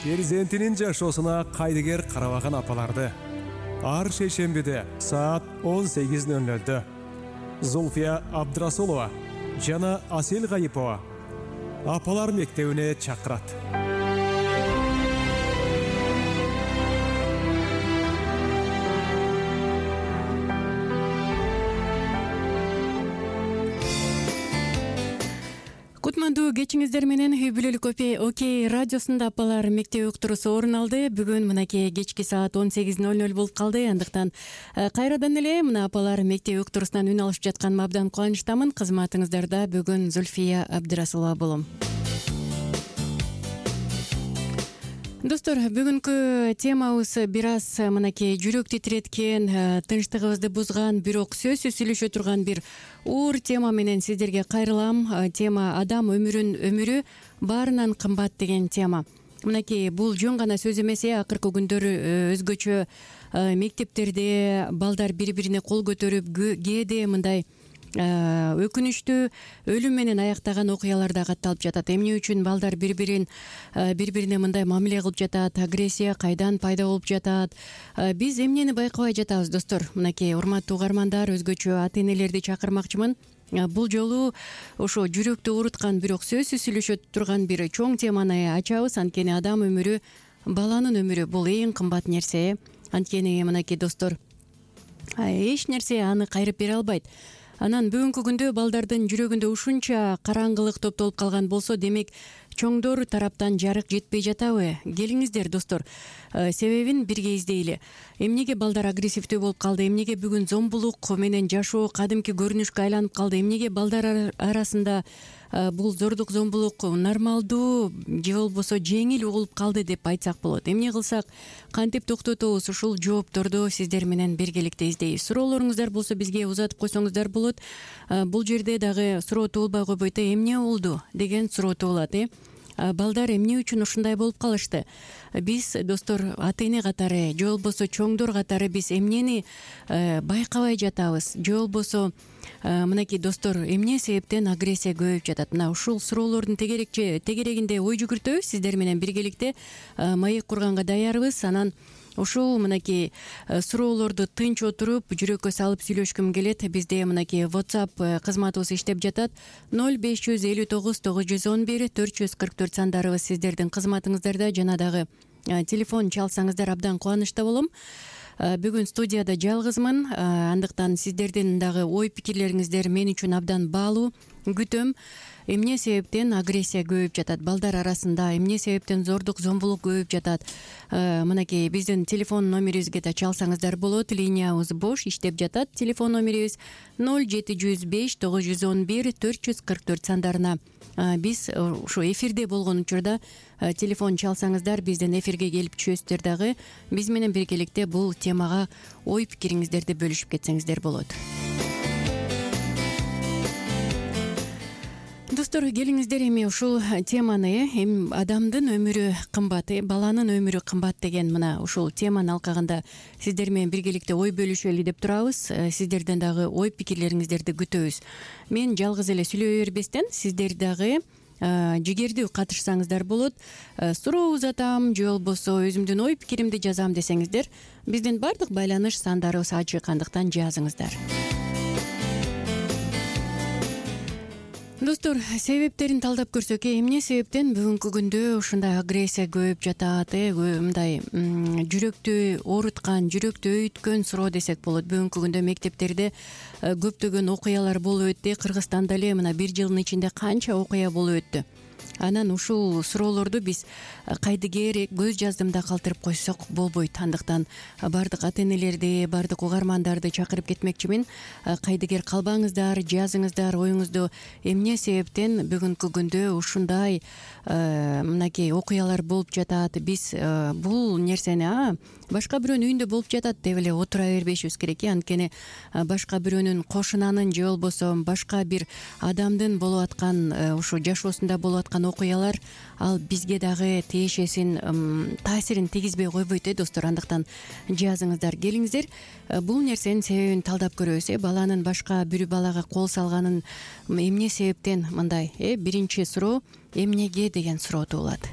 перзентинин жашоосуна кайдыгер карабаган апаларды ар шейшембиде саат 18:00 Зульфия Абдрасулова жана Асел Гайипова апалар мектебине чакырат. Кутмандуу кечиңиздер менен үй бүлөлүк Окей радиосунда апалар мектеп уктуруусу орун алды. Бүгүн мынакей кечки саат 18:00 болуп калды. Андыктан кайрадан эле мына апалар мектеп уктуруусунан үн алышып жатканыма абдан кубанычтамын. Кызматыңыздарда бүгүн Зульфия Абдрасулова болом. Достор, бүгүнкү темабыз бир аз мынакей жүрөк титиреткен, тынчтыгыбызды бузган, бирок сөзсүз сүйлөшө турган бир уур тема менен сиздерге кайрылам. Тема адам өмүрү баарынан кымбат деген тема. Мынакей бул жөн гана сөз эмес, акыркы күндөрү өзгөчө мектептерде балдар бири-бирине кол көтөрүп, кээде мындай өкүнүчтүү өлүм менен аяктаган окуялар да катталып жатат. Эмне үчүн балдар бири-бирине мындай мамиле кылып жатат, агрессия кайдан пайда болуп жатат? Биз эмнени байкабай жатабыз, достор? Мынакей урматтуу угармандар, өзгөчө ата-энелерди чакырмакчымын. Бул жолу ошо жүрөктү ооруткан, бирок сөзсүз сүйлөшө турган бир чоң теманы ачабыз. Анткени адам өмүрү, баланын өмүрү бул эң кымбат нерсе. Анткени мынакей достор, эч нерсе аны кайрып бере албайт. Анан бүгүнкү күндө балдардын жүрөгүндө ушунча караңгылык топтолуп калган болсо, демек чоңдор тараптан жарык жетпей жатабы? Келиңиздер, достор, себебин бирге издейли. Эмнеге балдар агрессивдүү болуп калды? Эмнеге бүгүн зомбулук менен жашоо кадимки көрүнүшкө айланып калды? Эмнеге балдар арасында бул зордук, зомбулук нормалдуу же болбосо жеңил угулуп калды деп айтсак болот? Эмне кылсак, кантип токтотобуз? Ушул жоопторду сиздер менен биргеликте издейбиз. Суроолоруңуздар болсо бизге узатып койсоңуздар болот. Бул жерде дагы суроо туулбай койбойт, эмне болду деген суроо туулат. Балдар эмне үчүн ушундай болуп калышты? Биз, достор, ата-эне катары же болбосо чоңдор катары биз эмнени байкабай жатабыз? Же болбосо мынакей достор, эмне себептен агрессия көбөйүп жатат? Мына ушул суроолордун тегерегинде ой жүгүртөбүз сиздер менен биргеликте. Маек курганга даярбыз. Анан ушул мынакей суроолорду тынч отуруп, жүрөккө салып сүйлөшкүм келет. Бизде мынакей WhatsApp кызматыбыз иштеп жатат. 0559 911 444 сандарыбыз сиздердин кызматыңыздарда. Жана дагы телефон чалсаңыздар абдан кубанычта болом. Бүгүн студияда жалгызмын. Андыктан сиздердин дагы ой пикирлериңиздер мен үчүн абдан баалуу. Күтөм. Эмне себептен агрессия көбөйүп жатат балдар арасында? Эмне себептен зордук, зомбулук көбөйүп жатат? Мынакей биздин телефон номерибизге да чалсаңыздар болот. Линиябыз бош, иштеп жатат. Телефон номерибиз 0705 911 444 сандарына. Биз ушу эфирде болгон учурда телефон чалсаңыздар, бизден эфирге келип түшөсүздөр дагы. Биз менен биргеликте бул темага ой пикириңиздерди бөлүшүп кетсеңиздер болот. Достор, келиңиздер, эми ушул теманы, адамдын өмүрү кымбат, баланын өмүрү кымбат деген мына ушул теманы алкагында сиздер менен биргеликте ой бөлүшөлү деп турабыз. Сиздерден дагы ой пикирлериңиздерди күтөбүз. Мен жалгыз эле сүйлөй бербестен сиздер дагы жигердүү катышсаңыздар болот. Суроо узатам же болбосо өзүмдүн ой пикиримди жазам десеңиздер, биздин бардык байланыш сандарыбыз ачык, андыктан жазыңыздар. Достор, себептерин талдап көрсөк, эмне себептен бүгүнкү күндө ушундай агрессия көбөйүп жатат? Мындай жүрөктү ооруткан, жүрөктү өйүткөн суроо десек болот. Бүгүнкү күндө мектептерде көптөгөн окуялар болуп өттү. Кыргызстанда эле мына бир жылдын ичинде канча окуя болуп өттү. Анан ушул суроолорду биз кайдыгер көз жаздымда калтырып койсок болбойт. Андыктан бардык ата-энелерди, бардык угармандарды чакырып кетмекчимин. Кайдыгер калбаңыздар, жазыңыздар оюңузду. Эмне себептен бүгүнкү күндө ушундай мынакей окуялар болуп жатат? Биз бул нерсени башка бирөөнүн үйүндө болуп жатат деп эле отура бербешибиз керек. Анткени башка бирөөнүн кошунанын же болбосо башка бир адамдын болуп аткан ушу жашоосунда болуп аткан окуялар ал бизге дагы тиешесин таасирин тийгизбей койбойт, достор. Андыктан жазыңыздар, келиңиздер. Бул нерсенин себебин талдап көрөбүз. Баланын башка бир балага кол салганын эмне себептен мындай? Биринчи суроо эмнеге деген суроо туулат.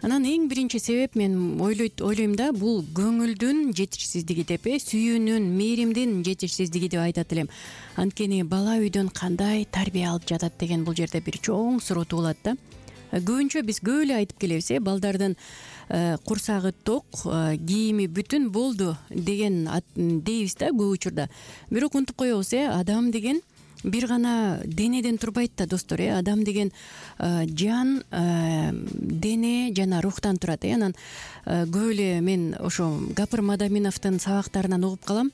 Анан эң биринчи себеп мен ойлойм да, бул көңүлдүн жетишсиздиги деп, сүйүүнүн, мээримдин жетишсиздиги деп айтат элем. Анткени бала үйдөн кандай тарбия алып жатат деген бул жерде бир чоң суроо туулат да. Көбүнчө биз көп эле айтып келебиз, балдардын курсагы ток, кийими бүтүн болду деген дейбиз да көп учурда. Бирок унутуп коебуз, адам деген бир гана денеден турбайт да достор. Адам деген жан, дене жана рухтан турат. Анан көп эле мен ошо Гапыр Мадаминовдун сабактарынан угуп калам.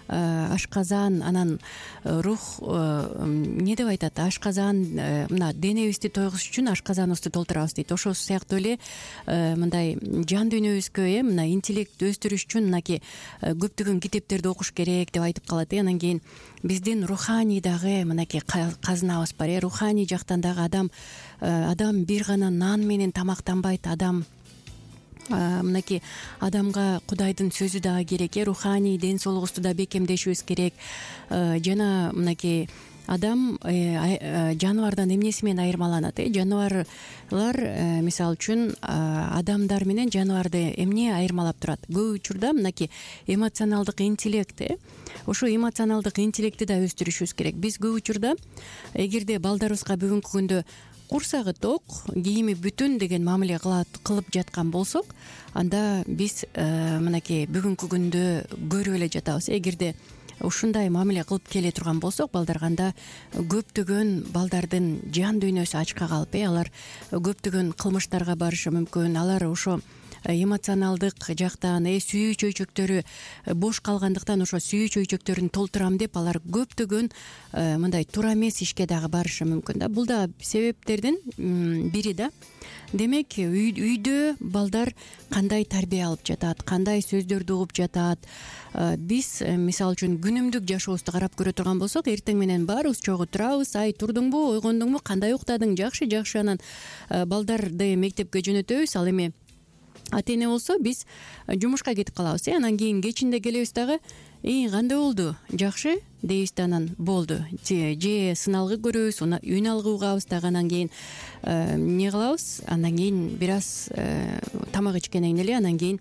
Ашказан, анан рух эмне деп айтат? Ашказан, мына денебизди тойгузуш үчүн ашказаныбызды толтурабыз дейт. Ошол сыяктуу эле мындай жан дүйнөбүзгө мына интеллект өстүрүш үчүн мынакей көптөгөн китептерди окуш керек деп айтып калат. Анан кийин биздин руханий дагы мынакей казынабыз бар. Руханий жактан дагы адам бир гана нан менен тамактанбайт. Мынакей адамга Кудайдын сөзү дагы керек. Руханий ден соолугубузду да бекемдешибиз керек. Жана мынакей адам жаныбардан эмнеси менен айырмаланат? Жаныбарлар мисалы үчүн адамдар менен жаныбарды эмне айырмалап турат? Көп учурда мынакей эмоционалдык интеллект. Ошо эмоционалдык интеллектти да өстүрүшүбүз керек. Биз көп учурда эгерде балдарыбызга бүгүнкү күндө курсагы ток, кийими бүтүн деген мамиле кылып жаткан болсок, анда биз мынакей бүгүнкү күндө көрүп эле жатабыз. Эгерде ушундай мамиле кылып келе турган болсок балдарга, анда көптөгөн балдардын жан дүйнөсү ачка калып, алар көптөгөн кылмыштарга барышы мүмкүн. Алар ошо эмоционалдык жактан сүйүү чөйчөктөрү бош калгандыктан ошо сүйүү чөйчөктөрүн толтурам деп алар көптөгөн мындай туура эмес ишке дагы барышы мүмкүн да. Бул да себептердин бири да. Демек үйдө балдар кандай тарбия алып жатат, кандай сөздөрдү угуп жатат? Биз мисалы үчүн күнүмдүк жашообузду карап көрө турган болсок, эртең менен баарыбыз чогуу турабыз. Ай, турдуңбу, ойгондуңбу, кандай уктадың? Жакшы. Анан балдарды мектепке жөнөтөбүз. Ал эми ата эне болсо биз жумушка кетип калабыз. Анан кийин кечинде келебиз дагы, кандай болду? Жакшы дейбиз да, анан болду. Же сыналгы көрөбүз, үн алгы угабыз дагы, анан кийин эмне кылабыз? Андан кийин бир аз тамак ичкенден кийин эле анан кийин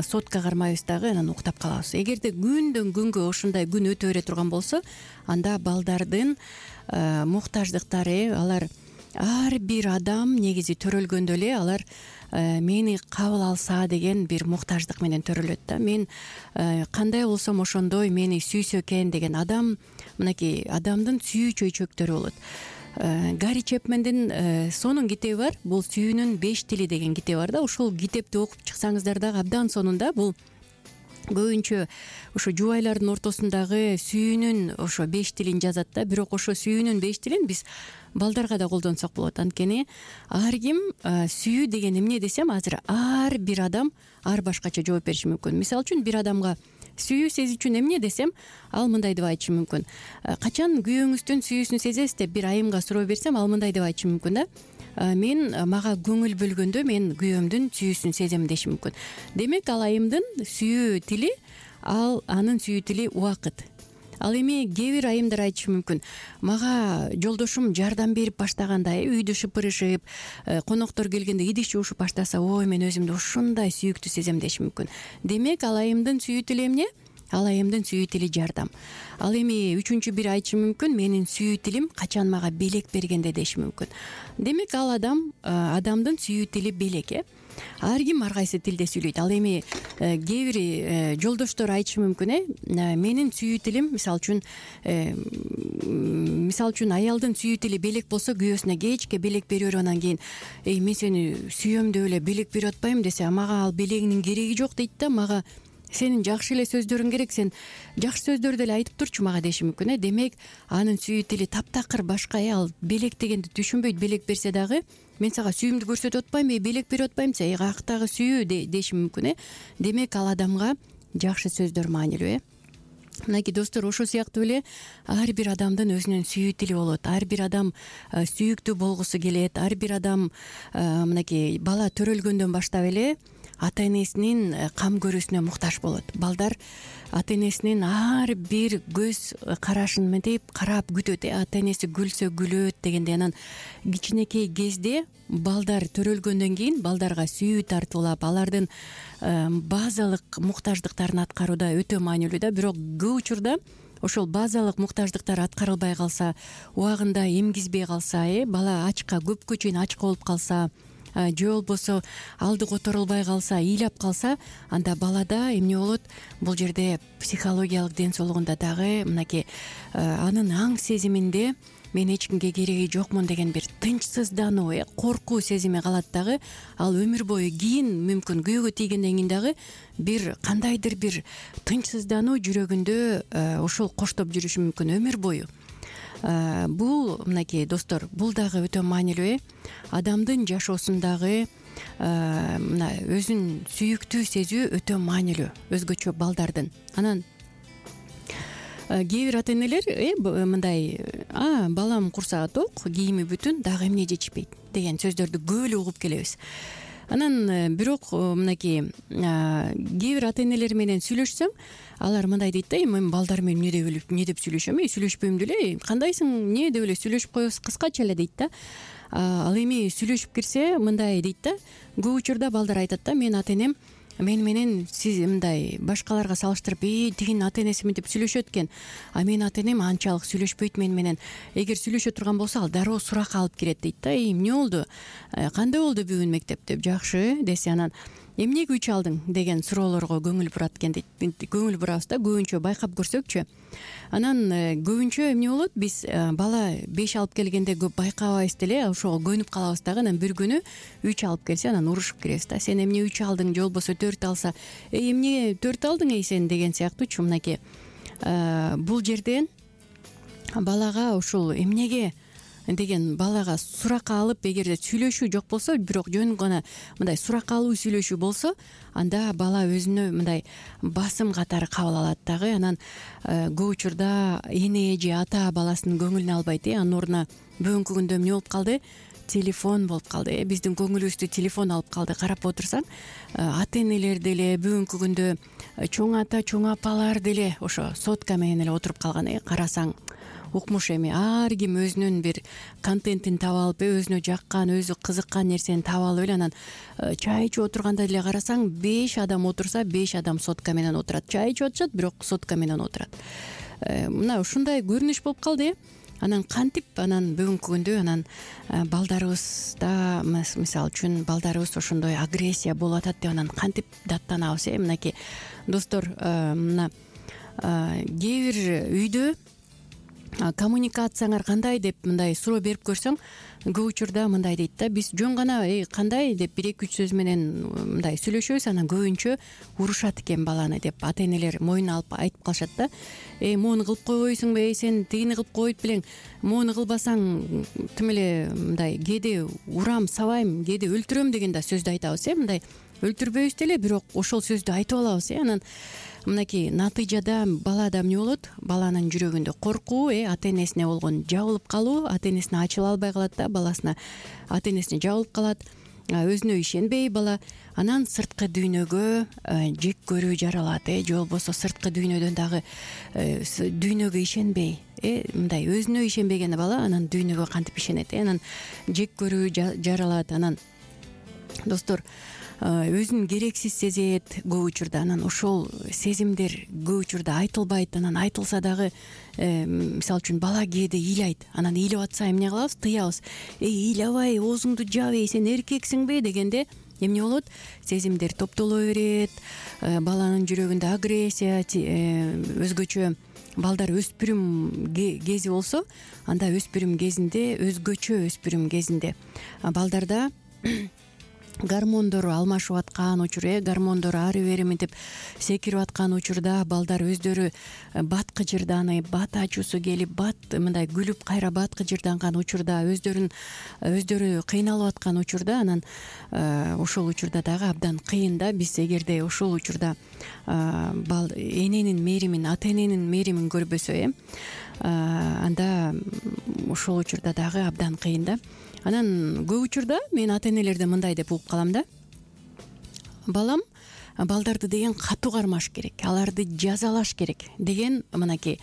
сотка кармайбыз дагы, анан уктап калабыз. Эгерде күндөн күнгө ошондой күн өтө бере турган болсо, анда балдардын муктаждыктары, алар ар бир адам негизи төрөлгөндө эле алар мени кабыл алса деген бир муктаждык менен төрөлөт да. Мен кандай болсом ошондой мени сүйсө экен деген адам, мынакей адамдын сүйүү чөйчөктөрү болот. Гарри Чепмендин сонун китеби бар. Бул сүйүүнүн 5 тили деген китеби бар да. Ошол китепти окуп чыксаңыздар дагы абдан сонунда. Бул көбүнчө ошо жубайлардын ортосундагы сүйүүнүн ошо 5 тилин жазат да. Бирок ошо сүйүүнүн 5 тилин биз балдарга да колдонсок болот. Анткени ар ким сүйүү деген эмне десем, азыр ар бир адам ар башкача жооп бериши мүмкүн. Мисалы үчүн бир адамга сүйүү сезүү үчүн эмне десем, ал мындай деп айтышы мүмкүн. Качан күйөөңүздүн сүйүүсүн сезесиз деп бир айымга суроо берсем, ал мындай деп айтышы мүмкүн да. Мен мага көңүл бөлгөндө мен күйөөмдүн сүйүүсүн сезем деши мүмкүн. Демек ал айымдын сүйүү тили, анын сүйүү тили убакыт. Ал эми кээ бир айымдар айтышы мүмкүн. Мага жолдошум жардам берип баштаганда, үйдү шыпырышып, коноктор келгенде идиш жуушуп баштаса, ой, мен өзүмдү ушундай сүйүктүү сезем деши мүмкүн. Демек ал айымдын сүйүү тили эмне? Ал айымдын сүйүү тили жардам. Ал эми үчүнчү бир айтышы мүмкүн, менин сүйүү тилим качан мага белек бергенде деши мүмкүн. Демек ал адамдын сүйүү тили белек. Ар ким ар кайсы тилде сүйлөйт. Ал эми кээ бир жолдоштор айтышы мүмкүн, менин сүйүү тилим мисалы үчүн аялдын сүйүү тили белек болсо, күйөөсүнө кечке белек берип берип анан кийин мен сени сүйөм деп эле белек берип атпайм десе, мага ал белегинин кереги жок дейт да. Мага сенин жакшы эле сөздөрүң керек, сен жакшы сөздөрдү эле айтып турчу мага деши мүмкүн. Демек анын сүйүү тили таптакыр башка. Ал белек дегенди түшүнбөйт. Белек берсе дагы мен сага сүйүүмдү көрсөтүп атпаймынбы, белек берип атпаймынбы, каяктагы сүйүү деши мүмкүн. Демек ал адамга жакшы сөздөр маанилүү. Мынакей достор, ошол сыяктуу эле ар бир адамдын өзүнүн сүйүү тили болот. Ар бир адам сүйүктүү болгусу келет. Ар бир адам мынакей бала төрөлгөндөн баштап эле ата энесинин кам көрүүсүнө муктаж болот. Балдар ата энесинин ар бир көз карашын мынтип карап күтөт. Ата энеси күлсө күлөт дегендей. Анан кичинекей кезде балдар төрөлгөндөн кийин балдарга сүйүү тартуулап, алардын базалык муктаждыктарын аткарууда өтө маанилүү да. Бирок көп учурда ошол базалык муктаждыктар аткарылбай калса, убагында эмгизбей калса, бала ачка, көпкө чейин ачка болуп калса, же болбосо алды которулбай калса, ыйлап калса, анда балада эмне болот? Бул жерде психологиялык ден соолугунда дагы мынакей анын аң сезиминде мен эч кимге кереги жокмун деген бир тынчсыздануу, коркуу сезими калат дагы. Ал өмүр бою кийин мүмкүн күйөөгө тийгенден кийин дагы бир кандайдыр бир тынчсыздануу жүрөгүндө ошол коштоп жүрүшү мүмкүн өмүр бою. Бул мынакей достор, бул дагы өтө маанилүү. Адамдын жашоосундагы мына өзүн сүйүктүү сезүү өтө маанилүү, өзгөчө балдардын. Анан кээ бир ата энелер мындай балам курсагы ток, кийими бүтүн, дагы эмне жечпейт деген сөздөрдү көп эле угуп келебиз. Анан бирок мынакей кээ бир ата энелер менен сүйлөшсөм, алар мындай дейт да: мен балдар менен эмне деп сүйлөшөм, сүйлөшпөйм деле, кандайсың, эмне деп эле сүйлөшүп коебуз, кыскача эле дейт да. Ал эми сүйлөшүп кирсе мындай дейт да, көп учурда балдар айтат да: мен ата энем мен менен сиз мындай башкаларга салыштырып, тигинин ата энеси мынтип сүйлөшөт экен, а менин ата энем анчалык сүйлөшпөйт мен менен. Эгер сүйлөшө турган болсо, ал дароо суракка алып кирет дейт да. Эмне болду, кандай болду бүгүн мектеп деп, жакшы десе, анан эмнеге 3 алдың деген суроолорго көңүл бурат экен дейт. Көңүл бурабыз да, көбүнчө байкап көрсөкчү. Анан көбүнчө эмне болот, биз бала 5 алып келгенде көп байкабайбыз деле, ошого көнүп калабыз дагы. Анан бир күнү 3 алып келсе, анан урушуп киребиз да: сен эмне 3 алдың, же болбосо 4 алса, эмне 4 алдың сен деген сыяктуучу. Мынакей бул жерден балага ушул эмнеге деген балага суракка алып, эгерде сүйлөшүү жок болсо, бирок жөн гана мындай суракка алуу сүйлөшүү болсо, анда бала өзүнө мындай басым катары кабыл алат дагы. Анан көп учурда эне же ата баласынын көңүлүн албайт. Анын ордуна бүгүнкү күндө эмне болуп калды? Телефон болуп калды. Биздин көңүлүбүздү телефон алып калды. Карап отурсаң, ата энелер деле бүгүнкү күндө чоң ата, чоң апалар деле ошо сотка менен эле отуруп калган. Карасаң укмуш, эми ар ким өзүнүн бир контентин таап алып, өзүнө жаккан, өзү кызыккан нерсени таап алып эле, анан чай ичип отурганда деле карасаң, 5 адам отурса, 5 адам сотка менен отурат. Чай ичип атышат, бирок сотка менен отурат. Мына ушундай көрүнүш болуп калды. Анан кантип, анан бүгүнкү күндө анан балдарыбызда, мисалы үчүн, балдарыбыз ошондой агрессия болуп атат деп анан кантип даттанабыз? Мынакей достор, мына кээ бир үйдө коммуникацияңар кандай деп мындай суроо берип көрсөң, көп учурда мындай дейт да: биз жөн гана кандай деп 1-2 сөз менен мындай сүйлөшөбүз, анан көбүнчө урушат экен баланы деп ата энелер мойнуна алып айтып калышат да: моуну кылып койбойсуңбу, сен тигини кылып койбойт белең, моуну кылбасаң тим эле мындай кээде урам, сабайм, кээде өлтүрөм деген да сөздү айтабыз. Мындай өлтүрбөйбүз деле, бирок ошол сөздү айтып алабыз. Анан мынакей натыйжада балада эмне болот? Баланын жүрөгүндө коркуу, ата энесине болгон жабылып калуу, ата энесине ачыла албай калат да, баласына ата энесине жабылып калат, өзүнө ишенбей бала. Анан сырткы дүйнөгө жек көрүү жаралат, же болбосо сырткы дүйнөдөн дагы дүйнөгө ишенбей, мындай өзүнө ишенбеген бала анан дүйнөгө кантип ишенет? Анан жек көрүү жаралат. Анан достор, өзүн керексиз сезет көп учурда. Анан ошол сезимдер көп учурда айтылбайт. Анан айтылса дагы, мисалы үчүн, бала кээде ыйлайт. Анан ыйлап атса эмне кылабыз? Тыябыз. Ыйлабай, оозуңду жап, сен эркексиңби дегенде эмне болот? Сезимдер топтоло берет. Баланын жүрөгүндө агрессия, өзгөчө балдар өспүрүм кези болсо, анда өспүрүм кезинде, өзгөчө өспүрүм кезинде балдарда гормондор алмашып аткан учур, гормондор ары бери мынтип секирип аткан учурда балдар өздөрү бат кыжырданып, бат ачуусу келип, мындай күлүп кайра бат кыжырданган учурда, өздөрү кыйналып аткан учурда, анан ошол учурда дагы абдан кыйын да. Биз эгерде ошол учурда эненин мээримин, ата эненин мээримин көрбөсө, анда ошол учурда дагы абдан кыйын да. Анан көп учурда мен ата энелерден мындай деп угуп калам да: балам балдарды деген катуу кармаш керек, аларды жазалаш керек деген мынакей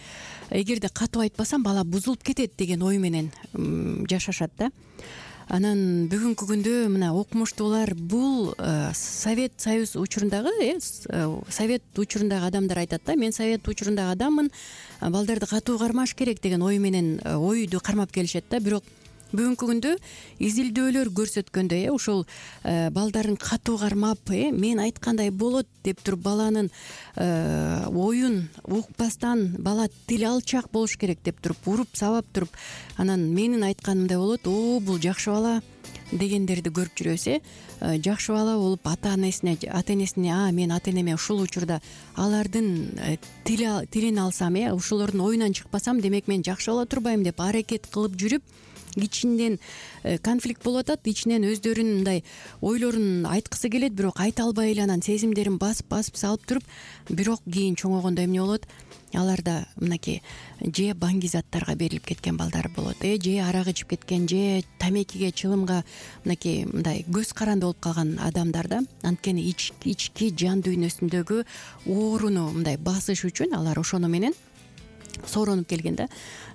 эгерде катуу айтпасам бала бузулуп кетет деген ой менен жашашат да. Анан бүгүнкү күндө мына окумуштуулар бул Совет Союз учурундагы Совет учурундагы адамдар айтат да, мен Совет учурундагы адаммын, балдарды катуу кармаш керек деген ой менен ойду кармап келишет да. Бирок бүгүнкү күндө изилдөөлөр көрсөткөндөй ушул балдарын катуу кармап мен айткандай болот деп туруп баланын оюн укпастан бала тил алчак болуш керек деп туруп уруп сабап туруп анан менин айтканымдай болот, бул жакшы бала дегендерди көрүп жүрөбүз. Жакшы бала болуп ата энесине мен ата энеме ушул учурда алардын тилин алсам, ушулордун оюнан чыкпасам, демек мен жакшы боло турбайм деп аракет кылып жүрүп ичинен конфликт болуп атат, ичинен өздөрүнүн мындай ойлорун айткысы келет, бирок айта албай эле анан сезимдерин басып салып туруп, бирок кийин чоңойгондо эмне болот? Аларда мынакей же баңгизаттарга берилип кеткен балдар болот, же арак ичип кеткен, же тамекиге, чылымга мынакей мындай көз каранды болуп калган адамдар да. Анткени ички жан дүйнөсүндөгү ооруну мындай басыш үчүн алар ошону менен сооронуп келген да.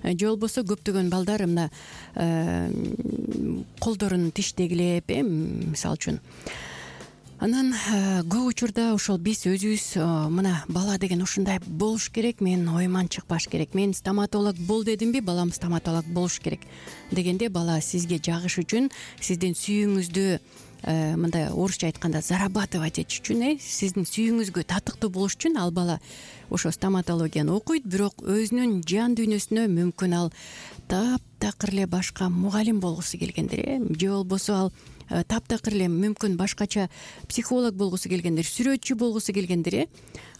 Же болбосо көптөгөн балдар мына колдорун тиштегилеп, мисалы үчүн. Анан көп учурда ошол биз өзүбүз мына бала деген ушундай болуш керек, мен оюман чыкпаш керек, мен стоматолог бол дедимби, балам стоматолог болуш керек дегенде бала сизге жагыш үчүн, сиздин сүйүүңүздү мындай орусча айтканда зарабатывать этиш үчүн, сиздин сүйүүңүзгө татыктуу болуш үчүн ал бала ошо стоматологияны окуйт. Бирок өзүнүн жан дүйнөсүнө мүмкүн ал таптакыр эле башка мугалим болгусу келгендер, же болбосо ал таптакыр эле мүмкүн башкача психолог болгусу келгендер, сүрөтчү болгусу келгендер,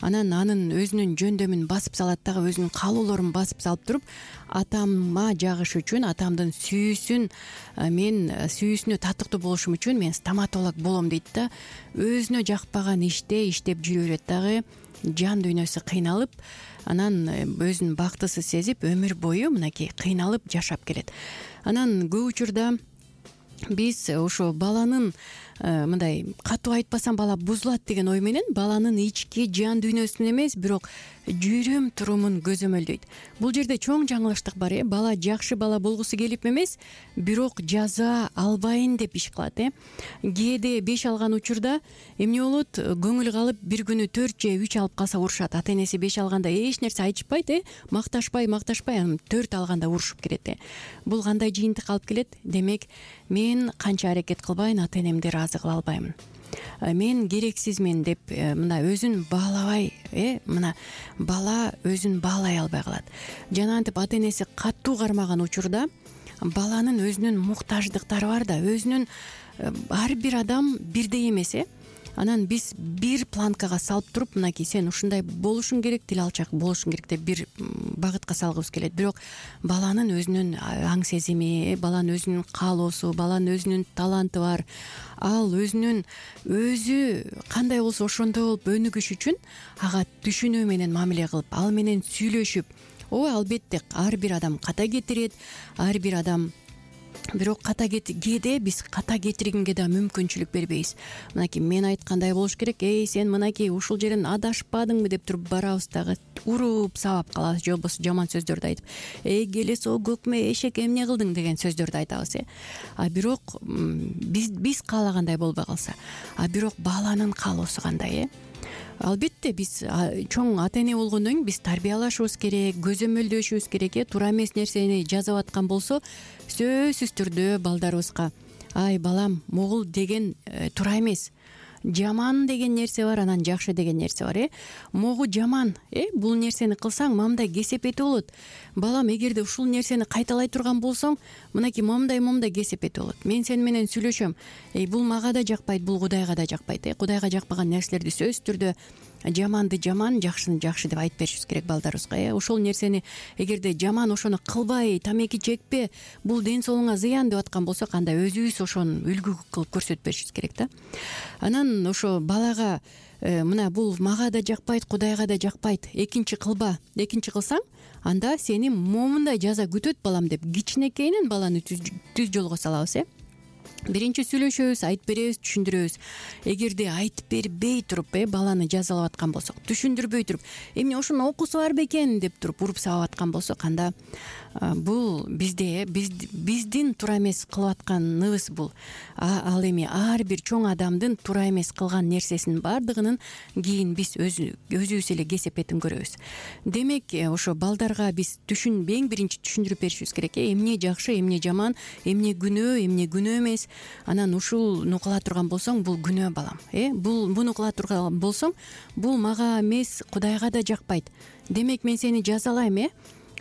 анан анын өзүнүн жөндөмүн басып салат дагы, өзүнүн каалоолорун басып салып туруп, атама жагыш үчүн, атамдын сүйүүсүнө татыктуу болушум үчүн мен стоматолог болом дейт да. Өзүнө жакпаган иште иштеп жүрө берет дагы, жан дүйнөсү кыйналып, анан өзүн бактысыз сезип, өмүр бою мынакей кыйналып жашап келет. Анан көп учурда биз ошо баланын мындай катуу айтпасам бала бузулат деген ой менен баланын ички жан дүйнөсүн эмес, бирок жүрүм турумун көзөмөлдөйт. Бул жерде чоң жаңылыштык бар. Бала жакшы бала болгусу келип эмес, бирок жаза албайын деп иш кылат. Кээде 5 алган учурда эмне болот? Көңүл калып бир күнү 4 же 3 алып калса урушат. Ата энеси 5 алганда эч нерсе айтышпайт, макташпай, анан 4 алганда урушуп кетет. Бул кандай жыйынтык алып келет? Демек, мен канча аракет кылбайын, ата энемди ыраазы кыла албаймын. Мен керексизмин деп мына өзүн баалабай, мына бала өзүн баалай албай калат. Жана антип ата энеси катуу кармаган учурда баланын өзүнүн муктаждыктары бар да, өзүнүн ар бир адам бирдей эмес. Анан биз бир планкага салып туруп, мынакей сен ушундай болушуң керек, тил алчак болушуң керек деп бир багытка салгыбыз келет. Бирок баланын өзүнүн аң сезими, баланын өзүнүн каалоосу, баланын өзүнүн таланты бар. Ал өзү кандай болсо ошондой болуп өнүгүш үчүн ага түшүнүү менен мамиле кылып, ал менен сүйлөшүп, албетте ар бир адам ката кетирет, ар бир адам, бирок кээде биз ката кетиргенге да мүмкүнчүлүк бербейбиз. Мынакей мен айткандай болуш керек, сен мынакей ушул жерден адашпадыңбы деп туруп барабыз дагы уруп сабап калабыз, же болбосо жаман сөздөрдү айтып, келес о көкмө эшек эмне кылдың деген сөздөрдү айтабыз. Бирок биз каалагандай болбой калса, бирок баланын каалоосу кандай? Албетте биз чоң ата эне болгондон кийин биз тарбиялашыбыз керек, көзөмөлдөшүбүз керек. Туура эмес нерсени жазып аткан болсо, сөзсүз түрдө балдарыбызга ай балам, могул деген туура эмес, жаман деген нерсе бар, анан жакшы деген нерсе бар. Могу жаман, бул нерсени кылсаң мамдай кесепети болот. Балам, эгерде ушул нерсени кайталай турган болсоң, мынакей момундай кесепети болот. Мен сени менен сүйлөшөм, бул мага да жакпайт, бул Кудайга да жакпайт. Кудайга жакпаган нерселерди сөзсүз түрдө жаманды жаман, жакшыны жакшы деп айтып беришибиз керек балдарыбызга. Ошол нерсени эгерде жаман ошону кылбай, тамеки чекпе, бул ден соолугуңа зыян деп аткан болсок, анда өзүбүз ошону үлгү кылып көрсөтүп беришибиз керек да. Анан ошо балага мына бул мага да жакпайт, Кудайга да жакпайт, экинчи кылба, экинчи кылсаң, анда сени момундай жаза күтөт балам деп кичинекейинен баланы түз жолго салабыз. биринчи сүйлөшөбүз, айтып беребиз, түшүндүрөбүз. Эгерде айтып бербей туруп баланы жазалап аткан болсок, түшүндүрбөй туруп, эмне ошонун окуусу бар бекен деп туруп уруп сабап аткан болсок, анда бул биздин туура эмес кылып атканыбыз бул. Ал эми ар бир чоң адамдын туура эмес кылган нерсесинин баардыгынын кийин биз өзүбүз эле кесепетин көрөбүз. Демек, ошо балдарга биз эң биринчи түшүндүрүп беришибиз керек. Эмне жакшы, эмне жаман, эмне күнөө, эмне күнөө эмес. Анан ушуну кыла турган болсоң, бул күнөө балам. Буну кыла турган болсоң, бул мага эмес, Кудайга да жакпайт. Демек, мен сени жазалайм,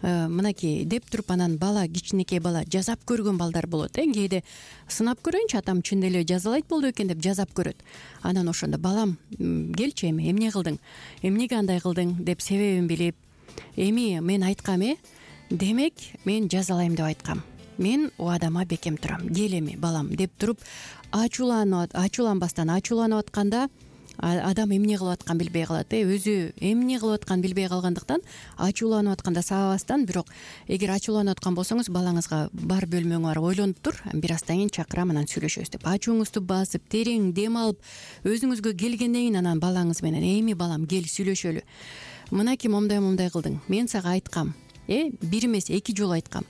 мынакей деп туруп, анан бала, кичинекей бала жазап көргөн балдар болот. Кээде сынап көрөйүнчү, атам чын эле жазалайт болду экен деп жазап көрөт. Анан ошондо балам, келчи, эмне кылдың, эмнеге андай кылдың деп себебин билип, эми мен айткам, демек мен жазалайм деп айткам. Мен убадама бекем турам. Кел эми балам деп туруп, ачууланбастан, ачууланып атканда адам эмне кылып атканын билбей калат. Өзү эмне кылып атканын билбей калгандыктан ачууланып атканда сабабастан, бирок эгер ачууланып аткан болсоңуз, балаңызга бар бөлмөңө барып ойлонуп тур, бир аздан кийин чакырам, анан сүйлөшөбүз деп ачууңузду басып, терең дем алып, өзүңүзгө келгенден кийин анан балаңыз менен, эми балам кел сүйлөшөлү. Мынакей момундай кылдың. Мен сага айткам. Бир эмес, 2 жолу айткам.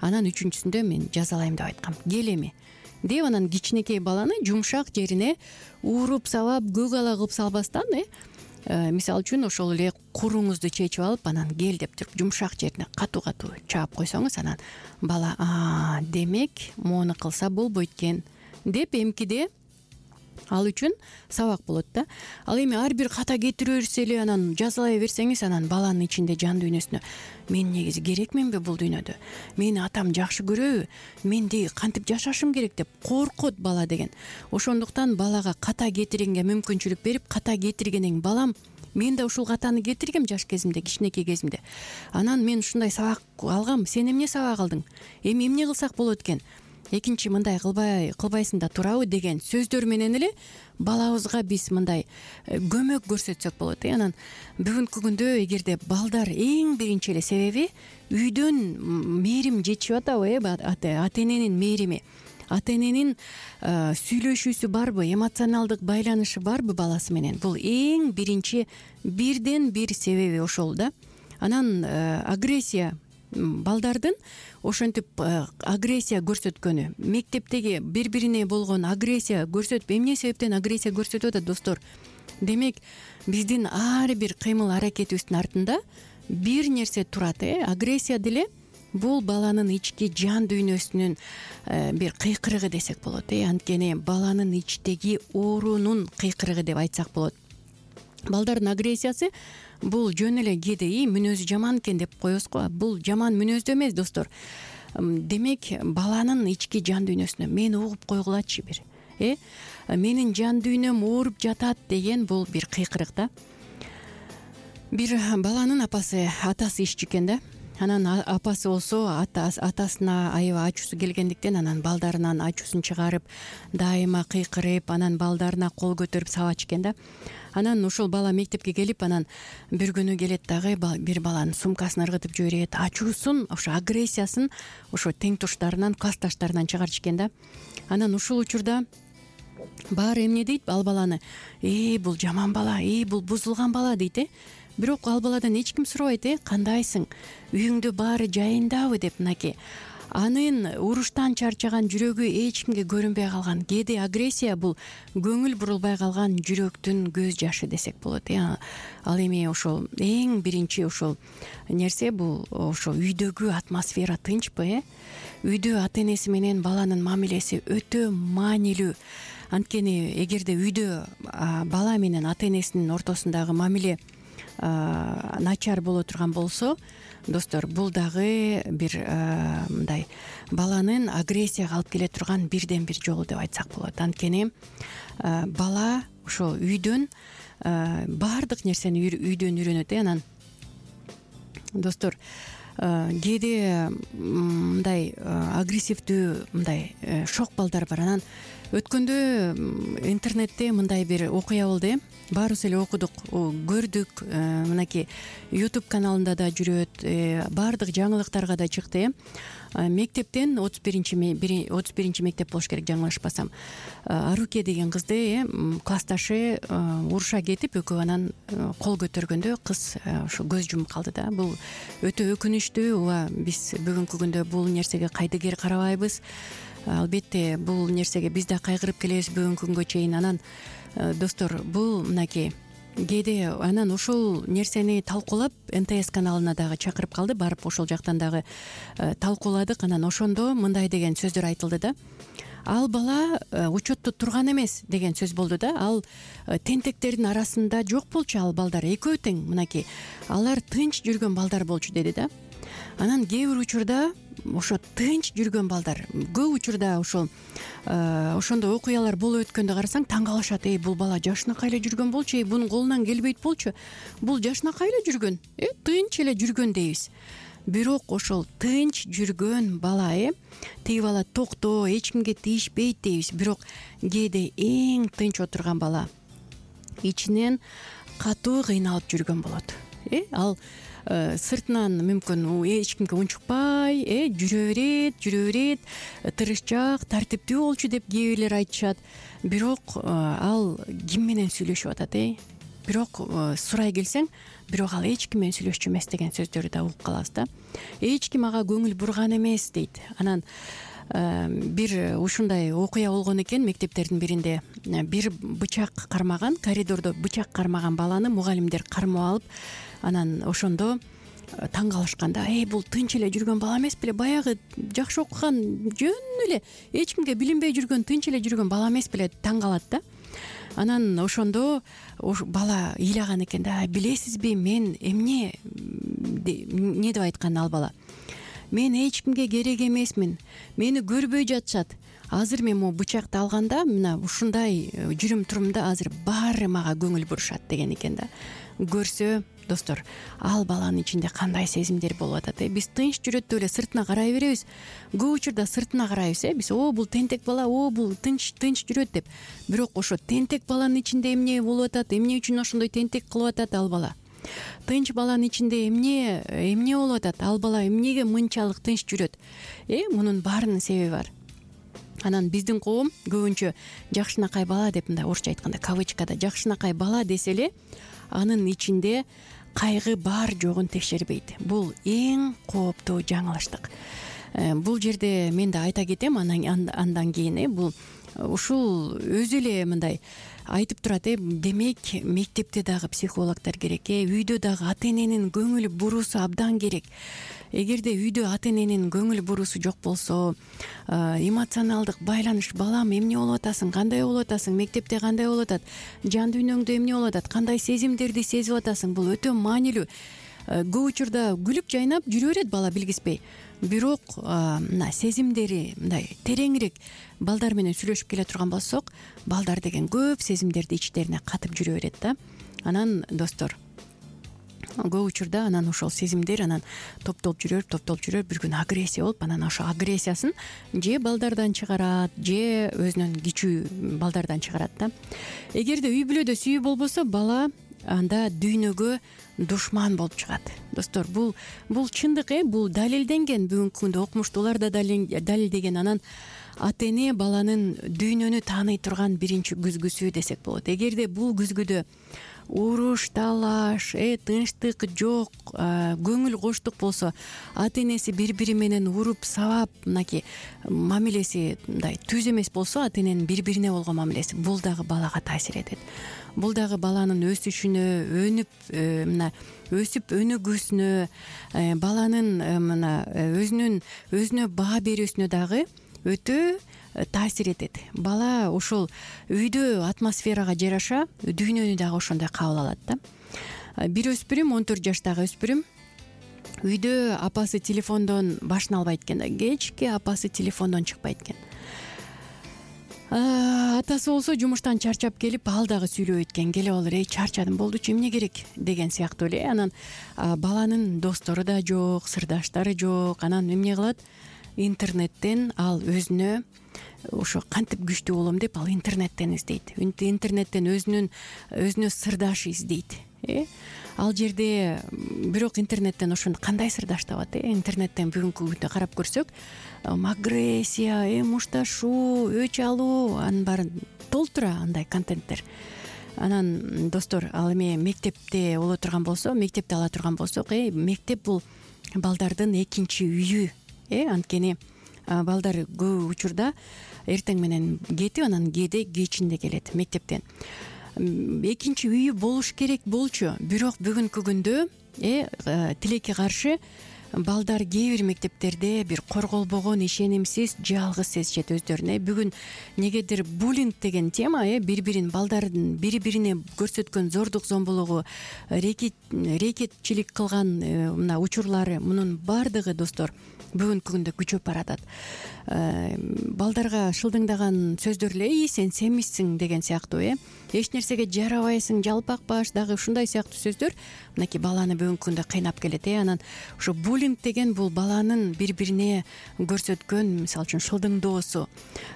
Анан үчүнчүсүндө мен жазалайм деп айткам. Кел эми деп, анан кичинекей баланы жумшак жерине уруп сабап, көк ала кылып салбастан, мисалы үчүн ошол эле куруңузду чечип алып, анан кел деп туруп жумшак жерине катуу чаап койсоңуз, анан бала демек моуну кылса болбойт экен деп эмкиде ал үчүн сабак болот да. Ал эми ар бир ката кетире берсе эле, анан жазалай берсеңиз, анан баланын ичинде, жан дүйнөсүнө, мен негизи керекменби бул дүйнөдө, мени атам жакшы көрөбү, мен деги кантип жашашым керек деп коркот бала деген. Ошондуктан балага ката кетиргенге мүмкүнчүлүк берип, ката кетиргенден кийин, балам, мен да ушул катаны кетиргем жаш кезимде, кичинекей кезимде. Анан мен ушундай сабак алгам, сен эмне сабак алдың, эми эмне кылсак болот экен, экинчи мындай кылбайсың да турабы деген сөздөр менен эле балабызга биз мындай көмөк көрсөтсөк болот. Анан бүгүнкү күндө эгерде балдар эң биринчи эле себеби үйдөн мээрим жетишип атабы, ата эненин мээрими, ата эненин сүйлөшүүсү барбы, эмоционалдык байланышы барбы баласы менен, бул эң биринчи бирден бир себеби ошол да. Анан агрессия, балдардын ошентип агрессия көрсөткөнү, мектептеги бири-бирине болгон агрессия көрсөтүп, эмне себептен агрессия көрсөтүп атат достор? Демек, биздин ар бир кыймыл аракетибиздин артында бир нерсе турат. Агрессия деле бул баланын ички жан дүйнөсүнүн бир кыйкырыгы десек болот. Анткени баланын ичтеги оорунун кыйкырыгы деп айтсак болот. Балдардын агрессиясы бул жөн эле кээде мүнөзү жаман экен деп коебуз го. Бул жаман мүнөздө эмес, достор. Демек, баланын ички жан дүйнөсүнө мени угуп койгулачы бир. Менин жан дүйнөм ооруп жатат деген бул бир кыйкырык да. Бир баланын атасы ишчи экен да. Анан апасы болсо атасына аябай ачуусу келгендиктен, анан балдарынан ачуусун чыгарып, дайыма кыйкырып, анан балдарына кол көтөрүп сабачу экен да. Анан ошол бала мектепке келип, анан бир күнү келет дагы, бир баланын сумкасын ыргытып жиберет, ачуусун, ошо агрессиясын ошо тең туштарынан, классташтарынан чыгарчу экен да. Анан ушул учурда баары эмне дейт? Ал баланы, бул жаман бала, бул бузулган бала дейт. Бирок ал баладан эч ким сурабайт, кандайсың, үйүңдө баары жайындабы деп. Мынакей анын уруштан чарчаган жүрөгү эч кимге көрүнбөй калган. Кээде агрессия бул көңүл бурулбай калган жүрөктүн көз жашы десек болот. Ал эми ошол эң биринчи ошол нерсе бул ошо үйдөгү атмосфера тынчпы? Үйдө ата энеси менен баланын мамилеси өтө маанилүү. Анткени эгерде үйдө бала менен ата энесинин ортосундагы мамиле начар боло турган болсо, достор, бул дагы бир мындай баланын агрессияга алып келе турган бирден бир жолу деп айтсак болот. Анткени бала ошо үйдөн баардык нерсени үйдөн үйрөнөт. Анан достор, кээде мындай агрессивдүү мындай шок балдар бар. Анан өткөндө интернетте мындай бир окуя болду. Баарыбыз эле окудук, көрдүк. Мынакей YouTube каналында да жүрөт, баардык жаңылыктарга да чыкты. мектептен 31 мектеп болуш керек, жаңылышпасам. Аруке деген кызды классташы уруша кетип, экөө анан кол көтөргөндө кыз ошо көз жумуп калды да. Бул өтө өкүнүчтүү. Ооба, биз бүгүнкү күндө бул нерсеге кайдыгер карабайбыз. Албетте бул нерсеге биз да кайгырып келебиз бүгүнкү күнгө чейин. Анан достор, бул мынакей кээде анан ошол нерсени талкуулап НТС каналына дагы чакырып калды, барып ошол жактан дагы талкууладык. Анан ошондо мындай деген сөздөр айтылды да: ал бала учетто турган эмес деген сөз болду да. Ал тентектердин арасында жок болчу, ал балдар экөө тең, мынакей алар тынч жүргөн балдар болчу деди да. Анан кээ бир учурда ошо тынч жүргөн балдар көп учурда ошондой окуялар болуп өткөндө карасаң таң калышат: бул бала жашынакай эле жүргөн болчу, бунун колунан келбейт болчу, бул жашынакай эле жүргөн, тынч эле жүргөн дейбиз. Бирок ошол тынч жүргөн бала тиги бала токтоо, эч кимге тийишпейт дейбиз. Бирок кээде эң тынч отурган бала ичинен катуу кыйналып жүргөн болот. Ал сыртынан мүмкүн эч кимге унчукпай жүрө берет, тырышчаак, тартиптүү болчу деп кээ бирлер айтышат. Бирок ал ким менен сүйлөшүп атат? Бирок сурай келсең, бирок ал эч ким менен сүйлөшчү эмес деген сөздөрдү да угуп калабыз да. Эч ким ага көңүл бурган эмес дейт. Анан бир ушундай окуя болгон экен. Мектептердин биринде бир бычак кармаган, коридордо бычак кармаган баланы мугалимдер кармап алып, анан ошондо таң калышкан да: бул тынч эле жүргөн бала эмес беле, баягы жакшы окуган, жөн эле эч кимге билинбей жүргөн, тынч эле жүргөн бала эмес беле, таң калат да. Анан ошондо бала ыйлаган экен да: билесизби, мен эмне деп айткан ал бала: мен эч кимге керек эмесмин, мени көрбөй жатышат. Азыр мен могу бычакты алганда, мына ушундай жүрүм турумда азыр баары мага көңүл бурушат деген экен да. Көрсө достор, ал баланын ичинде кандай сезимдер болуп атат? Биз тынч жүрөт деп эле сыртына карай беребиз. Көп учурда сыртына карайбыз, биз бул тентек бала, бул тынч жүрөт деп. Бирок ошо тентек баланын ичинде эмне болуп атат? Эмне үчүн ошондой тентек кылып атат ал бала? Тынч баланын ичинде эмне болуп атат? Ал бала эмнеге мынчалык тынч жүрөт? Мунун баарынын себеби бар. Анан биздин коом көбүнчө жакшынакай бала деп, мындай орусча айтканда кавычкада жакшынакай бала десе эле, анын ичинде кайгы бар жогун текшербейт. Бул эң кооптуу жаңылыштык. Бул жерде мен да айта кетем, андан кийин бул ушул өзү эле мындай айтып турат. Демек мектепте дагы психологдор керек, үйдө дагы ата эненин көңүл буруусу абдан керек. Эгерде үйдө ата эненин көңүл буруусу жок болсо, эмоционалдык байланыш: балам, эмне болуп атасың, кандай болуп атасың, мектепте кандай болуп атат, жан дүйнөңдө эмне болуп атат, кандай сезимдерди сезип атасың, бул өтө маанилүү. Көп учурда күлүп жайнап жүрө берет бала билгиспей. Бирок мына сезимдери мындай тереңирээк балдар менен сүйлөшүп келе турган болсок, балдар деген көп сезимдерди ичтерине катып жүрө берет да. Анан достор, көп учурда анан ошол сезимдер анан топтолуп жүрөр, бир күн агрессия болуп, анан ошо агрессиясын же балдардан чыгарат, же өзүнөн кичүү балдардан чыгарат да. Эгерде үй бүлөдө сүйүү болбосо, бала анда дүйнөгө душман болуп чыгат. Достор, бул чындык, бул далилденген. Бүгүнкү күндө окумуштуулар да далилдеген. Анан ата эне баланын дүйнөнү тааный турган биринчи күзгүсү десек болот. Эгерде бул күзгүдө уруш, талаш, тынчтык жок, көңүл коштук болсо, ата энеси бири менен уруп сабап, мынакей мамилеси мындай түз эмес болсо, ата эненин бири бирине болгон мамилеси, бул дагы балага таасир этет. Бул дагы баланын өсүшүнө, өсүп өнүгүүсүнө, баланын өзүнө баа берүүсүнө дагы өтө таасир этет. Бала ошол үйдө атмосферага жараша дүйнөнү дагы ошондой кабыл алат да. Бир өспүрүм, 14 жаштагы өспүрүм, үйдө апасы телефондон башын албайт экен да. Кечке апасы телефондон чыкпайт экен. Атасы болсо жумуштан чарчап келип, ал дагы сүйлөбөйт экен. Келип алыр: чарчадым, болдучу, эмне керек деген сыяктуу эле. Анан баланын достору да жок, сырдаштары жок. Анан эмне кылат? Интернеттен ал өзүнө ошо кантип күчтүү болом деп, ал интернеттен издейт. Интернеттен өзүнө сырдаш издейт. ал жерде бирок интернеттен ошону кандай сырдаштап атат интернеттен бүгүнкү күндө карап көрсөк агрессия мушташуу өч алуу анын баары толтура андай контенттер. Анан достор ал эми мектепте ала турган болсок мектеп бул балдардын экинчи үйү анткени балдар көп учурда эртең менен кетип анан кээде кечинде келет мектептен. Экинчи үйү болуш керек болчу, бирок бүгүнкү күндө тилекке каршы балдар кээ бир мектептерде бир корголбогон, ишенимсиз, жалгыз сезишет өздөрүн. Бүгүн негедир буллинг деген тема балдардын бири бирине көрсөткөн зордук зомбулугу, рекетчилик кылган мына учурлары мунун баардыгы достор бүгүнкү күндө күчөп баратат. Балдарга шылдыңдаган сөздөр эле сен семизсиң деген сыяктуу эч нерсеге жарабайсың, жалпак баш дагы ушундай сыяктуу сөздөр мынакей баланы бүгүнкү күндө кыйнап келет. Анан ошо буллинг деген бул баланын бири бирине көрсөткөн мисалы үчүн шылдыңдоосу,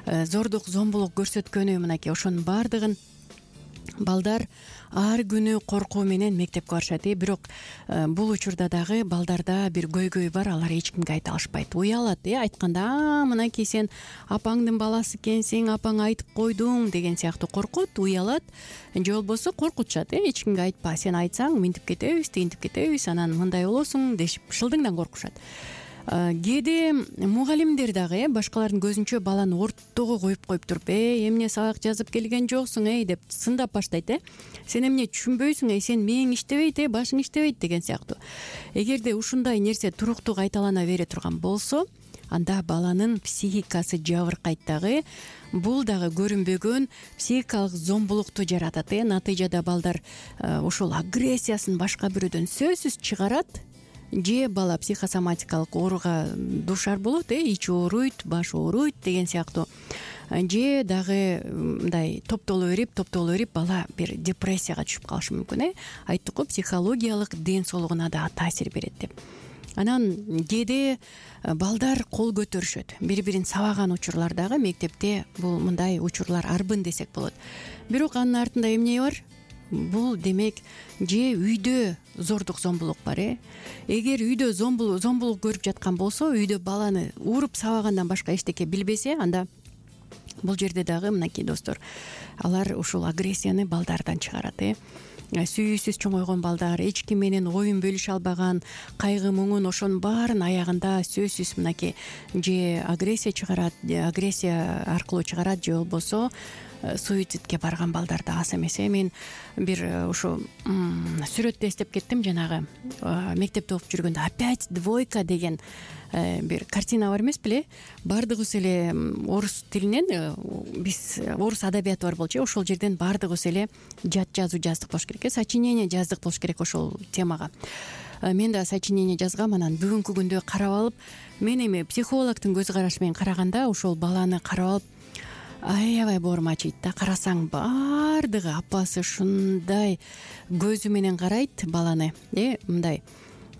зордук зомбулук көрсөткөнү мынакей ошонун баардыгын балдар ар күнү коркуу менен мектепке барышат. Бирок бул учурда дагы балдарда бир көйгөй бар, алар эч кимге айта алышпайт, уялат. Айтканда мынакей сен апаңдын баласы экенсиң, апаң айтып койдуң деген сыяктуу коркут, уялат, же болбосо коркутушат. Эч кимге айтпа, сен айтсаң мынтип кетебиз, тигинтип кетебиз, анан мындай болосуң дешип шылдыңдан коркушат. Кээде мугалимдер дагы башкалардын көзүнчө баланы ортого коюп туруп эмне сабак жазып келген жоксуң деп сындап баштайт. Сен эмне түшүнбөйсүң, сен мээң иштебейт, башың иштебейт деген сыяктуу. Эгерде ушундай нерсе туруктуу кайталана бере турган болсо, анда баланын психикасы жабыркайт дагы, бул дагы көрүнбөгөн психикалык зомбулукту жаратат. Натыйжада балдар ушул агрессиясын башка бирөөдөн сөзсүз чыгарат, же бала психосоматикалык ооруга дуушар болот, ичи ооруйт, баш ооруйт деген сыяктуу, же дагы мындай топтоло берип бала бир депрессияга түшүп калышы мүмкүн. Айттык го, психологиялык ден соолугуна да таасир берет деп. Анан кээде балдар кол көтөрүшөт, бири бирин сабаган учурлар дагы мектепте бул мындай учурлар арбын десек болот. Бирок анын артында эмне бар? Бул демек же үйдө зордук зомбулук бар. Эгер үйдө зомбулук көрүп жаткан болсо, үйдө баланы уруп сабагандан башка эчтеке билбесе, анда бул жерде дагы мынакей достор, алар ушул агрессияны балдардан чыгарат. Сүйүүсүз чоңойгон балдар, эч ким менен оюн бөлүшө албаган, кайгы муңун ошонун баарын аягында сөзсүз мынакей же агрессия чыгарат, агрессия аркылуу чыгарат, же болбосо суицидке барган балдар да аз эмес. Мен бир ушу сүрөттү эстеп кеттим, жанагы мектепте окуп жүргөндө опять двойка деген бир картина бар эмес беле? Баардыгыбыз эле орус тилинен, биз орус адабияты бар болчу, ошол жерден баардыгыбыз эле жат жазуу жаздык болуш керек, сочинение жаздык болуш керек ошол темага. Мен да сочинение жазгам. Анан бүгүнкү күндө карап алып, мен эми психологдун көз карашы менен караганда ошол баланы карап алып аябай боорум ачыйт да. Карасаң баардыгы апасы ушундай көзү менен карайт баланы, мындай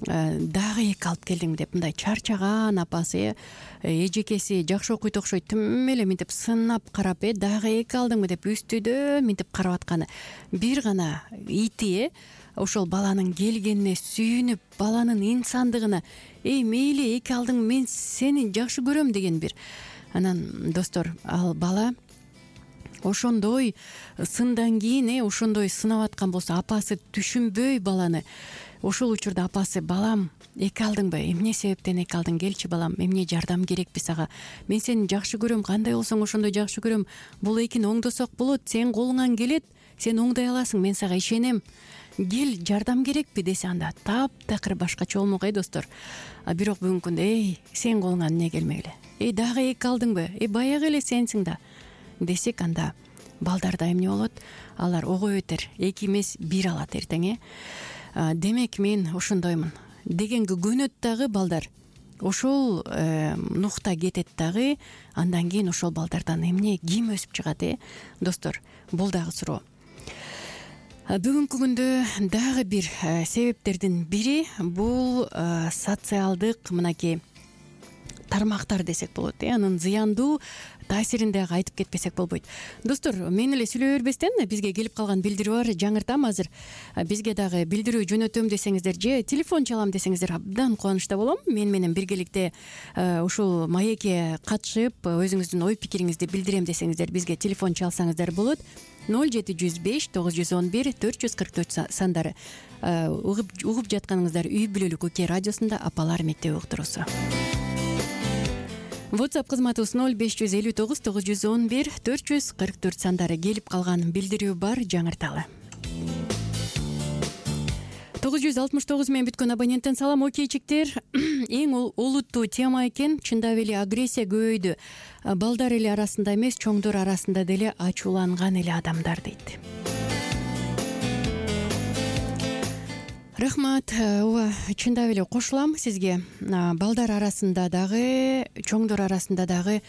дагы эки алып келдиңби деп, мындай чарчаган апасы, эжекеси жакшы окуйт окшойт, тим эле мынтип сынап карап, дагы эки алдыңбы деп үстүдө мынтип карап атканы. Бир гана ити ошол баланын келгенине сүйүнүп, баланын инсандыгына, мейли эки алдың, мен сени жакшы көрөм деген бир. Анан достор, ал бала ошондой сындан кийин ошондой сынап аткан болсо, апасы түшүнбөй баланы, ошол учурда апасы: балам, эки алдыңбы, эмне себептен эки алдың, келчи балам, эмне жардам керекпи сага, мен сени жакшы көрөм, кандай болсоң ошондой жакшы көрөм, бул экини оңдосок болот, сен колуңан келет, сен оңдой аласың, мен сага ишенем, кел, жардам керекпи десе, анда таптакыр башкача болмок достор. Бирок бүгүнкү күндө сен колуңан эмне келмек эле, дагы эки алдыңбы, баягы эле сенсиң да десек, анда балдарда эмне болот? Алар ого бетер эки эмес бир алат эртең. Демек мен ошондоймун дегенге көнөт дагы балдар, ошол нукта кетет дагы. Андан кийин ошол балдардан эмне, ким өсүп чыгат? Достор, бул дагы суроо. Бүгүнкү күндө дагы бир себептердин бири бул социалдык мынакей тармактар десек болот, анын зыяндуу таасирин дагы айтып кетпесек болбойт. Достор, мен эле сүйлөй бербестен бизге келип калган билдирүү бар. Жаңыртам азыр. Бизге дагы билдирүү жөнөтөм десеңиздер же телефон чалам десеңиздер абдан кубанычта болом. Мен менен биргеликте ушул маекке катышып, өзүңүздүн ой пикириңизди билдирем десеңиздер бизге телефон чалсаңыздар болот. 0705 911 444 сандары. Угуп жатканыңыздар үй бүлөлүк уке радиосунда апалар мектеби уктуруусу. WhatsApp кызматыбыз 0559 911 444 сандары. Келип калган билдирүү бар, жаңырталы. 969 менен бүткөн абоненттен салам. Окейчиктер, эң олуттуу тема экен. Чындап эле агрессия көбөйдү. Балдар эле арасында эмес, чоңдор арасында деле ачууланган эле адамдар дейт. Рахмат. Ооба, чындап эле кошулам сизге. Балдар арасында дагы, чоңдор арасында дагы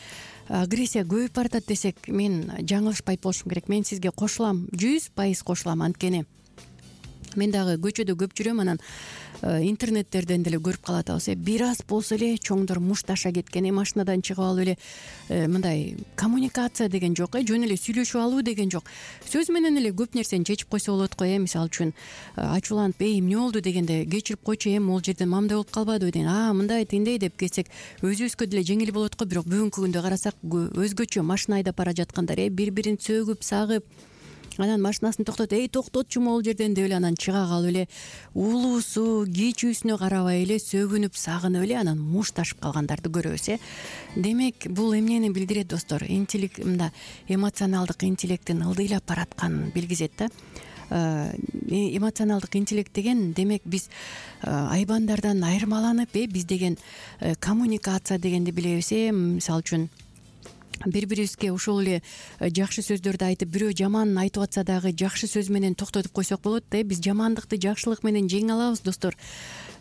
агрессия көбөйүп баратат десек, мен жаңылышпайт болушум керек. Мен сизге кошулам, 100% кошулам. Анткени мен дагы көчөдө көп жүрөм, анан интернеттерден деле көрүп калатабыз. Бир аз болсо эле чоңдор мушташа кеткен, машинадан чыгып алып эле мындай коммуникация деген жок, жөн эле сүйлөшүп алуу деген жок. Сөз менен эле көп нерсени чечип койсо болот го. Мисалы үчүн ачууланып, эмне болду дегенде, кечирип койчу, могул жерден мамдай болуп калбадыбы деген, мындай тиндей деп кетсек өзүбүзгө деле жеңил болот го. Бирок бүгүнкү күндө карасак, өзгөчө машина айдап бара жаткандар бири-бирин сөгүп, сагып, анан машинасын токтотчу могул жерден деп эле анан чыга калып эле улуусу, кичүүсүнө карабай эле сөгүнүп, сагынып эле анан мушташып калгандарды көрөбүз. Демек, бул эмнени билдирет, достор? Мында эмоционалдык интеллекттин ылдыйлап баратканын билгизет да. Эмоционалдык интеллект деген, демек биз айбандардан айырмаланып, биз деген коммуникация дегенди билебиз. Мисалы үчүн бири-бирибизге ушул эле жакшы сөздөрдү айтып, бирөө жаман айтып атса дагы жакшы сөз менен токтотуп койсок болот да. Биз жамандыкты жакшылык менен жеңе алабыз, достор.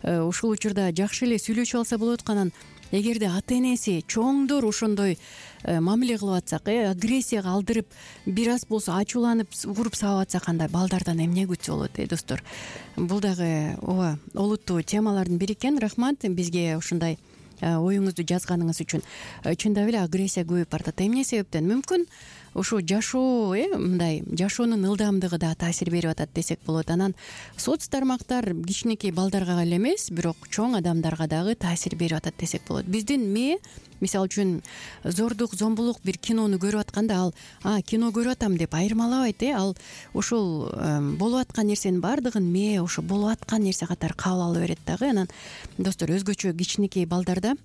Ушул учурда жакшы эле сүйлөшүп алса болот. Анан эгерде ата-энеси, чоңдор ошондой мамиле кылып атсак, агрессияга алдырып, бир аз болсо ачууланып, угуруп сабап атсак, анда балдардан эмне күтсө болот, достор? Бул дагы ооба олуттуу темалардын бири экен. Рахмат бизге ушундай оюңузду жазганыңыз үчүн. Чындап эле агрессия көбөйүп баратат. Эмне себептен? Мүмкүн ушу жашоо, мындай жашоонун ылдамдыгы да таасир берип атат десек болот. Анан соц тармактар кичинекей балдарга эле эмес, бирок чоң адамдарга дагы таасир берип атат десек болот. Биздин мээ, мисалы үчүн, зордук, зомбулук бир кинону көрүп атканда, ал кино көрүп атам деп айырмалабайт. Ал ушул болуп аткан нерсенин баардыгын мээ ошо болуп аткан нерсе катары кабыл ала берет дагы. Анан достор, өзгөчө кичинекей балдарда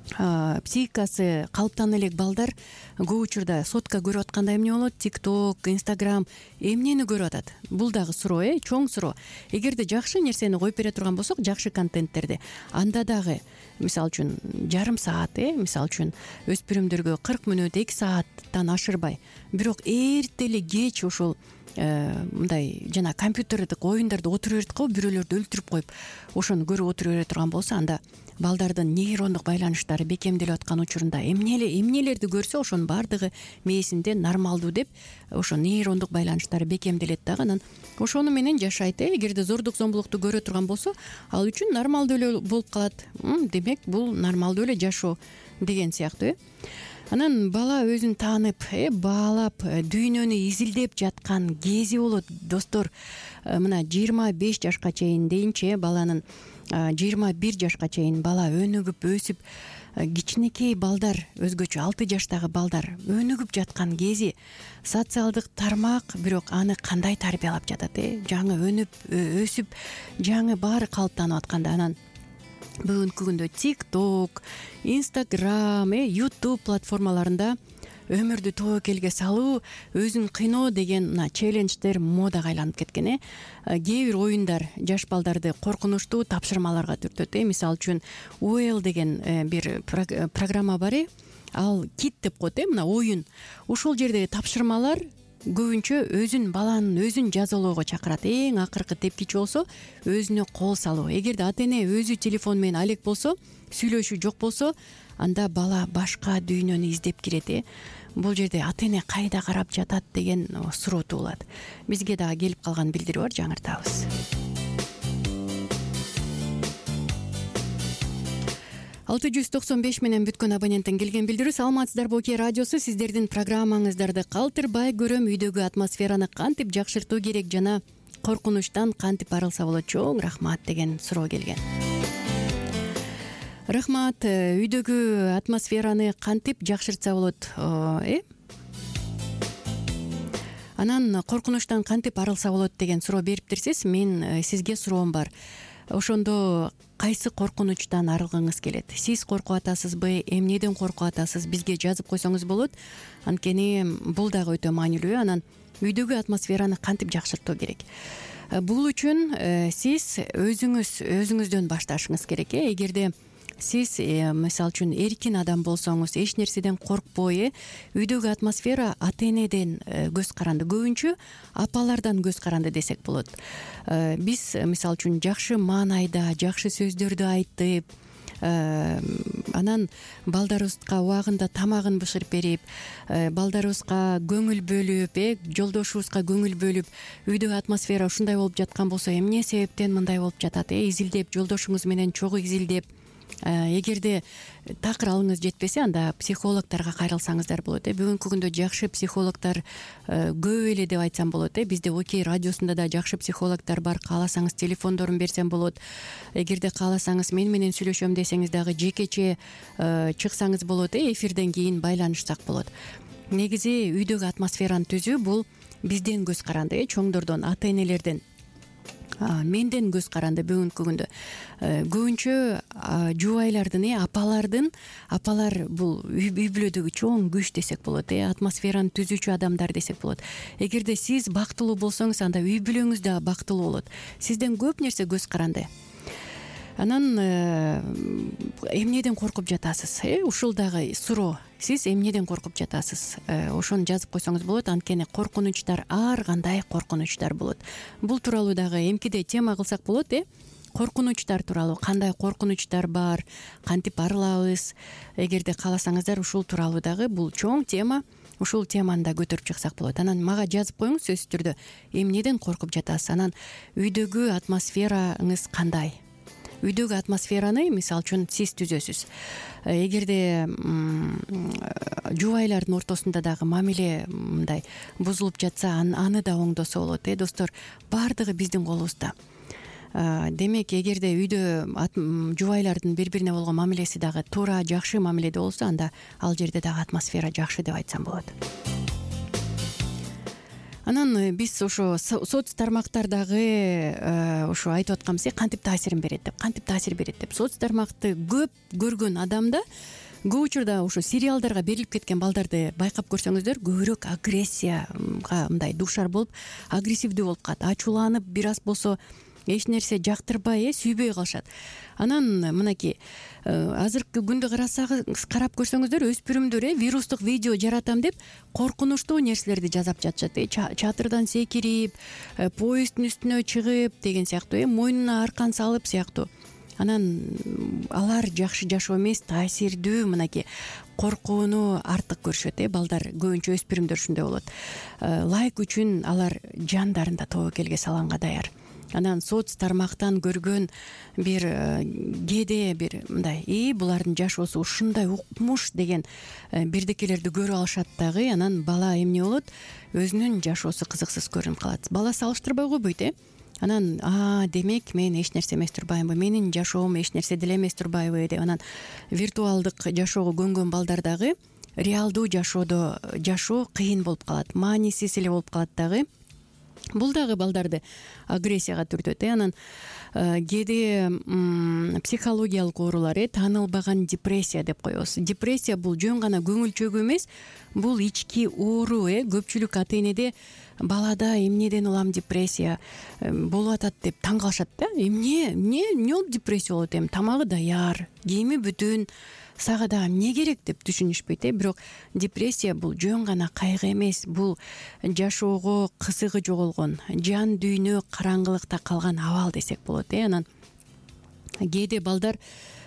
психикасы калыптана элек балдар көп учурда сотка көрүп атканда эмне болот? TikTok, Instagram эмнени көрүп атат? Бул дагы суроо, чоң суроо. Эгерде жакшы нерсени коюп бере турган болсок, жакшы контенттерди, анда дагы мисалы үчүн жарым саат, мисалы үчүн өспүрүмдөргө 40 мүнөт, 2 сааттан ашырбай, бирок эрте эле кеч ушул мындай жана компьютердик оюндарды отуруп берет го, бирөөлөрдү өлтүрүп коюп, ошону көрүп отуруп бере турган болсо, анда балдардын нейрондук байланыштары бекемделип аткан учурунда эмнелерди көрсө, ошонун баардыгы мээсинде нормалдуу деп, ошо нейрондук байланыштары бекемделет дагы. Анан ошону менен жашайт. Эгерде зордук, зомбулукту көрө турган болсо, ал үчүн нормалдуу эле болуп калат. Демек, бул нормалдуу эле жашоо деген сыяктуу. Анан бала өзүн таанып, баалап, дүйнөнү изилдеп жаткан кези болот, достор. Мына 25 жашка чейин дейинчи, баланын 21 жашка чейин бала өнүгүп, өсүп, кичинекей балдар, өзгөчө 6 жаштагы балдар өнүгүп жаткан кези. Социалдык тармак бирок аны кандай тарбиялап жатат? Жаңы өнүп, өсүп, жаңы баары калыптанып атканда, анан бүгүнкү күндө TikTok, Instagram, YouTube платформаларында өмүрдү тобокелге салуу, өзүн кыйноо деген челлендждер модага айланып кеткен. Кээ бир оюндар жаш балдарды коркунучтуу тапшырмаларга түртөт. Мисалы үчүн Уэл деген бир программа бар. Ал кит деп коет, мына оюн. Ушул жердеги тапшырмалар көбүнчө баланын өзүн жазалоого чакырат. Эң акыркы тепкичи болсо, өзүнө кол салуу. Эгерде ата-эне өзү телефон менен алек болсо, сүйлөшүү жок болсо, анда бала башка дүйнөнү издеп кирет. Бул жерде ата-эне кайда карап жатат деген суроо туулат. Бизге дагы келип калган билдирүү бар, жаңыртабыз. 695 менен бүткөн абоненттен келген билдирүү. Саламатсыздарбы Оке радиосу, сиздердин программаңыздарды калтырбай көрөм. Үйдөгү атмосфераны кантип жакшыртуу керек жана коркунучтан кантип арылса болот? Чоң рахмат деген суроо келген. Рахмат. Үйдөгү атмосфераны кантип жакшыртса болот? Анан коркунучтан кантип арылса болот деген суроо бериптирсиз. Мен сизге суроом бар. Ошондо кайсы коркунучтан арылгыңыз келет? Сиз коркуп атасызбы? Эмнеден коркуп атасыз? Бизге жазып койсоңуз болот. Анткени бул дагы өтө маанилүү. Анан үйдөгү атмосфераны кантип жакшыртуу керек? Бул үчүн сиз өзүңүздөн башташыңыз керек. Эгерде сиз мисалы үчүн эркин адам болсоңуз, эч нерседен коркпой, үйдөгү атмосфера ата энеден көз каранды, көбүнчө апалардан көз каранды десек болот. Биз мисалы үчүн жакшы маанайда, жакшы сөздөрдү айтып, анан балдарыбызга убагында тамагын бышырып берип, балдарыбызга көңүл бөлүп, жолдошубузга көңүл бөлүп, үйдөгү атмосфера ушундай болуп жаткан болсо, эмне себептен мындай болуп жатат? Изилдеп, жолдошуңуз менен чогуу изилдеп, эгерде такыр алыңыз жетпесе, анда психологторго кайрылсаңыздар болот. Бүгүнкү күндө жакшы психологдор көп эле деп айтсам болот. Бизде Окей радиосунда да жакшы психологдор бар. Кааласаңыз телефондорун берсем болот. Эгерде кааласаңыз мен менен сүйлөшөм десеңиз дагы жекече чыксаңыз болот. Эфирден кийин байланышсак болот. Негизи үйдөгү атмосфераны түзүү бул бизден көз каранды, чоңдордон, ата энелерден, менден көз каранды. Бүгүнкү күндө көбүнчө жубайлардын, апалар бул үй бүлөдөгү чоң күч десек болот, атмосфераны түзүүчү адамдар десек болот. Эгерде сиз бактылуу болсоңуз, анда үй бүлөңүз да бактылуу болот. Сизден көп нерсе көз каранды. Анан эмнеден коркуп жатасыз? Ушул дагы суроо. Сиз эмнеден коркуп жатасыз? Ошону жазып койсоңуз болот. Анткени коркунучтар ар кандай коркунучтар болот. Бул тууралуу дагы эмкиде тема кылсак болот. Коркунучтар тууралуу, кандай коркунучтар бар, кантип арылабыз? Эгерде кааласаңыздар, ушул тууралуу дагы бул чоң тема. Ушул теманы да көтөрүп чыксак болот. Анан мага жазып коюңуз сөзсүз түрдө. Эмнеден коркуп жатасыз? Анан үйдөгү атмосфераңыз кандай? Үйдөгү атмосфераны мисалы үчүн сиз түзөсүз. Эгерде жубайлардын ортосунда дагы мамиле мындай бузулуп жатса, аны да оңдосо болот. Достор, баардыгы биздин колубузда. Демек, эгерде үйдө жубайлардын бири-бирине болгон мамилеси дагы туура, жакшы мамиледе болсо, анда ал жерде дагы атмосфера жакшы деп айтсам болот. Анан биз ошо соц тармактардагы ошо айтып атканбыз, кантип таасир берет деп. Соц тармакты көп көргөн адамда көп учурда ошо сериалдарга берилип кеткен балдарды байкап көрсөңүздөр, көбүрөөк агрессияга мындай дуушар болуп, агрессивдүү болуп калат, ачууланып, бир аз болсо эч нерсе жактырбай, сүйбөй калышат. Анан мынакей азыркы күндө карап көрсөңүздөр, өспүрүмдөр вирустук видео жаратам деп коркунучтуу нерселерди жазап жатышат. Чатырдан секирип, поезддин үстүнө чыгып деген сыяктуу, мойнуна аркан салып сыяктуу. Анан алар жакшы жашоо эмес, таасирдүү, мынакей коркууну артык көрүшөт. Балдар, көбүнчө өспүрүмдөр ушундай болот. Лайк үчүн алар жандарында тобокелге салганга даяр. Анан соц тармактан көргөн бир кээде бир мындай булардын жашоосу ушундай укмуш деген бирдекелерди көрүп алышат дагы. Анан бала эмне болот? Өзүнүн жашоосу кызыксыз көрүнүп калат. Бала салыштырбай койбойт. Анан демек мен эч нерсе эмес турбаймынбы, менин жашоом эч нерсе деле эмес турбайбы деп. Анан виртуалдык жашоого көнгөн балдар дагы реалдуу жашоодо жашоо кыйын болуп калат, маанисиз эле болуп калат дагы. Бул дагы балдарды агрессияга түртөт. Анан кээде психологиялык оорулар, таанылбаган депрессия деп коебуз. Депрессия бул жөн гана көңүл чөгүү эмес, бул ички оору. Көпчүлүк ата энеде балада эмнеден улам депрессия болуп атат деп таң калышат да. Эмне болуп депрессия болот? Тамагы даяр, кийими бүтүн, сага дагы эмне керек деп түшүнүшпөйт. Бирок депрессия бул жөн гана кайгы эмес, бул жашоого кызыгы жоголгон, жан дүйнө караңгылыкта калган абал десек болот. Анан кээде балдар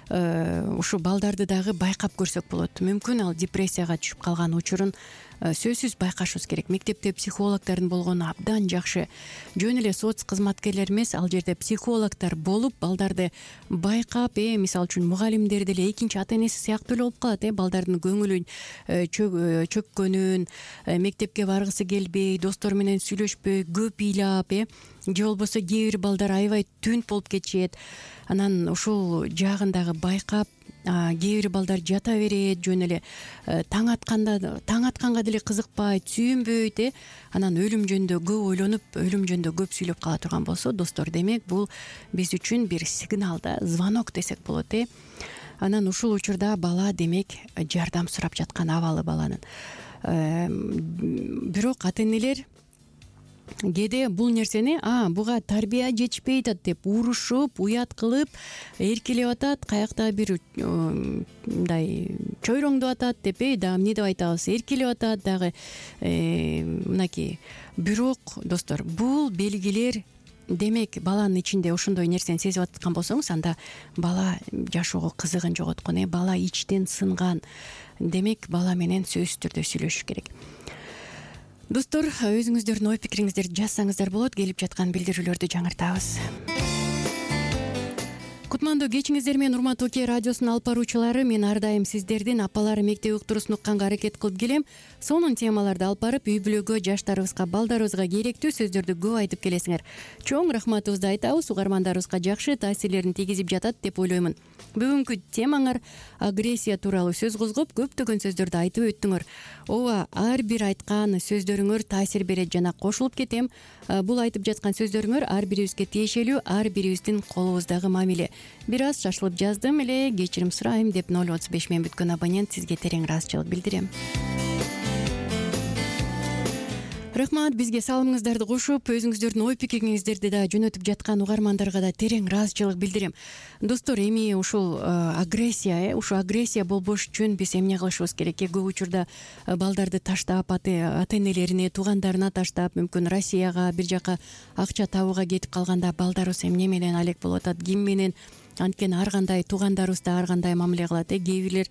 ушу балдарды дагы байкап көрсөк болот. Мүмкүн ал депрессияга түшүп калган учурун сөзсүз байкашыбыз керек. Мектепте психологдордун болгону абдан жакшы. Жөн эле соц кызматкерлер эмес, ал жерде психологдор болуп, балдарды байкап, мисалы үчүн мугалимдер деле экинчи ата энеси сыяктуу эле болуп калат. Балдардын көңүлүн чөккөнүн, мектепке баргысы келбей, достору менен сүйлөшпөй, көп ыйлап, же болбосо кээ бир балдар аябай түнт болуп кетишет. Анан ушул жагын дагы байкап, кээ бир балдар жата берет, жөн эле таң атканга деле кызыкпайт, сүйүнбөйт, анан өлүм жөнүндө көп ойлонуп, өлүм жөнүндө көп сүйлөп кала турган болсо, достор, демек бул биз үчүн бир сигнал да, звонок десек болот. Анан ушул учурда бала демек жардам сурап жаткан абалы баланын. Бирок ата энелер кээде бул нерсени буга тарбия жетишпей атат деп урушуп, уят кылып, эркелеп атат, каяктагы бир мындай чойроңдоп атат деп, дагы эмне деп айтабыз, эркелеп атат дагы мынакей. Бирок, достор, бул белгилер, демек баланын ичинде ошондой нерсени сезип аткан болсоңуз, анда бала жашоого кызыгын жоготкон, бала ичтен сынган. Демек бала менен сөзсүз түрдө сүйлөшүш керек. Достор, өзүңүздөрдүн ой пикириңиздерди жазсаңыздар болот. Келип жаткан билдирүүлөрдү жаңыртабыз. Кутмандуу кечиңиздер менен урматтуу Оке радиосунун алып баруучулары, мен ар дайым сиздердин апалары мектеп уктуруусун укканга аракет кылып келем. Сонун темаларды алып барып, үй бүлөгө, жаштарыбызга, балдарыбызга керектүү сөздөрдү көп айтып келесиңер. Чоң рахматыбызды айтабыз. Угармандарыбызга жакшы таасирлерин тийгизип жатат деп ойлоймун. Бүгүнкү темаңар агрессия тууралуу сөз козгоп, көптөгөн сөздөрдү айтып өттүңөр. Ооба, ар бир айткан сөздөрүңөр таасир берет жана кошулуп кетем. Бул айтып жаткан сөздөрүңөр ар бирибизге тиешелүү, ар бирибиздин колубуздагы мамиле. Бир аз шашылып жаздым эле, кечирим сурайм деп 035 менен бүткөн абонент сизге терең ыраазычылык билдирем. Рахмат, бизге салымыңыздарды кошуп, өзүңүздөрдүн ой пикириңиздерди да жөнөтүп жаткан угармандарга да терең ыраазычылык билдирем. Достор, эми ушул агрессия, ушу агрессия болбош үчүн биз эмне кылышыбыз керек? Көп учурда балдарды таштап, ата энелерине, туугандарына таштап, мүмкүн Россияга, бир жака акча табууга кетип калганда балдарыбыз эмне менен алек болуп атат, ким менен? Анткени ар кандай туугандарыбыз да ар кандай мамиле кылат. Кээ бирлер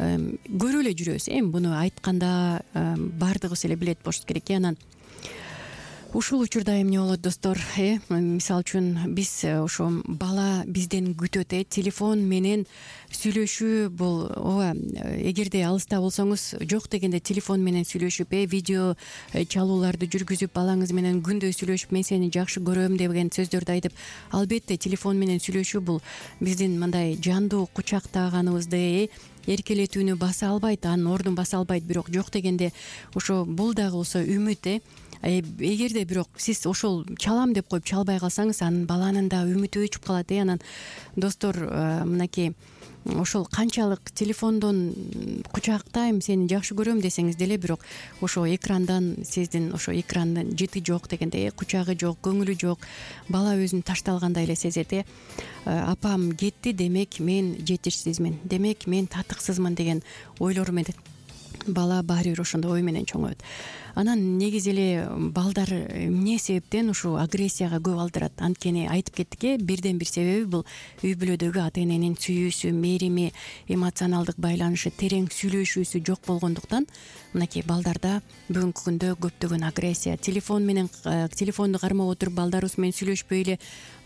көрүп эле жүрөбүз. Буну айтканда баардыгыбыз эле билет болушубуз керек. Анан ушул учурда эмне болот, достор? Мисалы үчүн биз ошо бала бизден күтөт, телефон менен сүйлөшүү бул, ооба, эгерде алыста болсоңуз, жок дегенде телефон менен сүйлөшүп, видео чалууларды жүргүзүп, балаңыз менен күндө сүйлөшүп, мен сени жакшы көрөм деген сөздөрдү айтып, албетте телефон менен сүйлөшүү бул биздин мындай жандуу кучактаганыбызды, эркелетүүнү баса албайт, анын ордун баса албайт. Бирок жок дегенде ошо бул дагы болсо үмүт. Эгерде бирок сиз ошол чалам деп коюп чалбай калсаңыз, анын баланын да үмүтү өчүп калат. Анан достор, мынакей ошол канчалык телефондон кучактайм, сени жакшы көрөм десеңиз деле, бирок ошо экрандан, сиздин ошо экрандын жыты жок дегенде, кучагы жок, көңүлү жок, бала өзүн ташталгандай эле сезет. Апам кетти, демек мен жетишсизмин, демек мен татыксызмын деген ойлор менен бала баары бир ошондой ой менен чоңоет. Анан негизи эле балдар эмне себептен ушул агрессияга көп алдырат? Анткени айтып кеттик, бирден бир себеби бул үй бүлөдөгү ата эненин сүйүүсү, мерими, эмоционалдык байланышы, терең сүйлөшүүсү жок болгондуктан мынакей балдарда бүгүнкү күндө көптөгөн агрессия. Телефонду кармап отуруп, балдарыбыз менен сүйлөшпөй эле,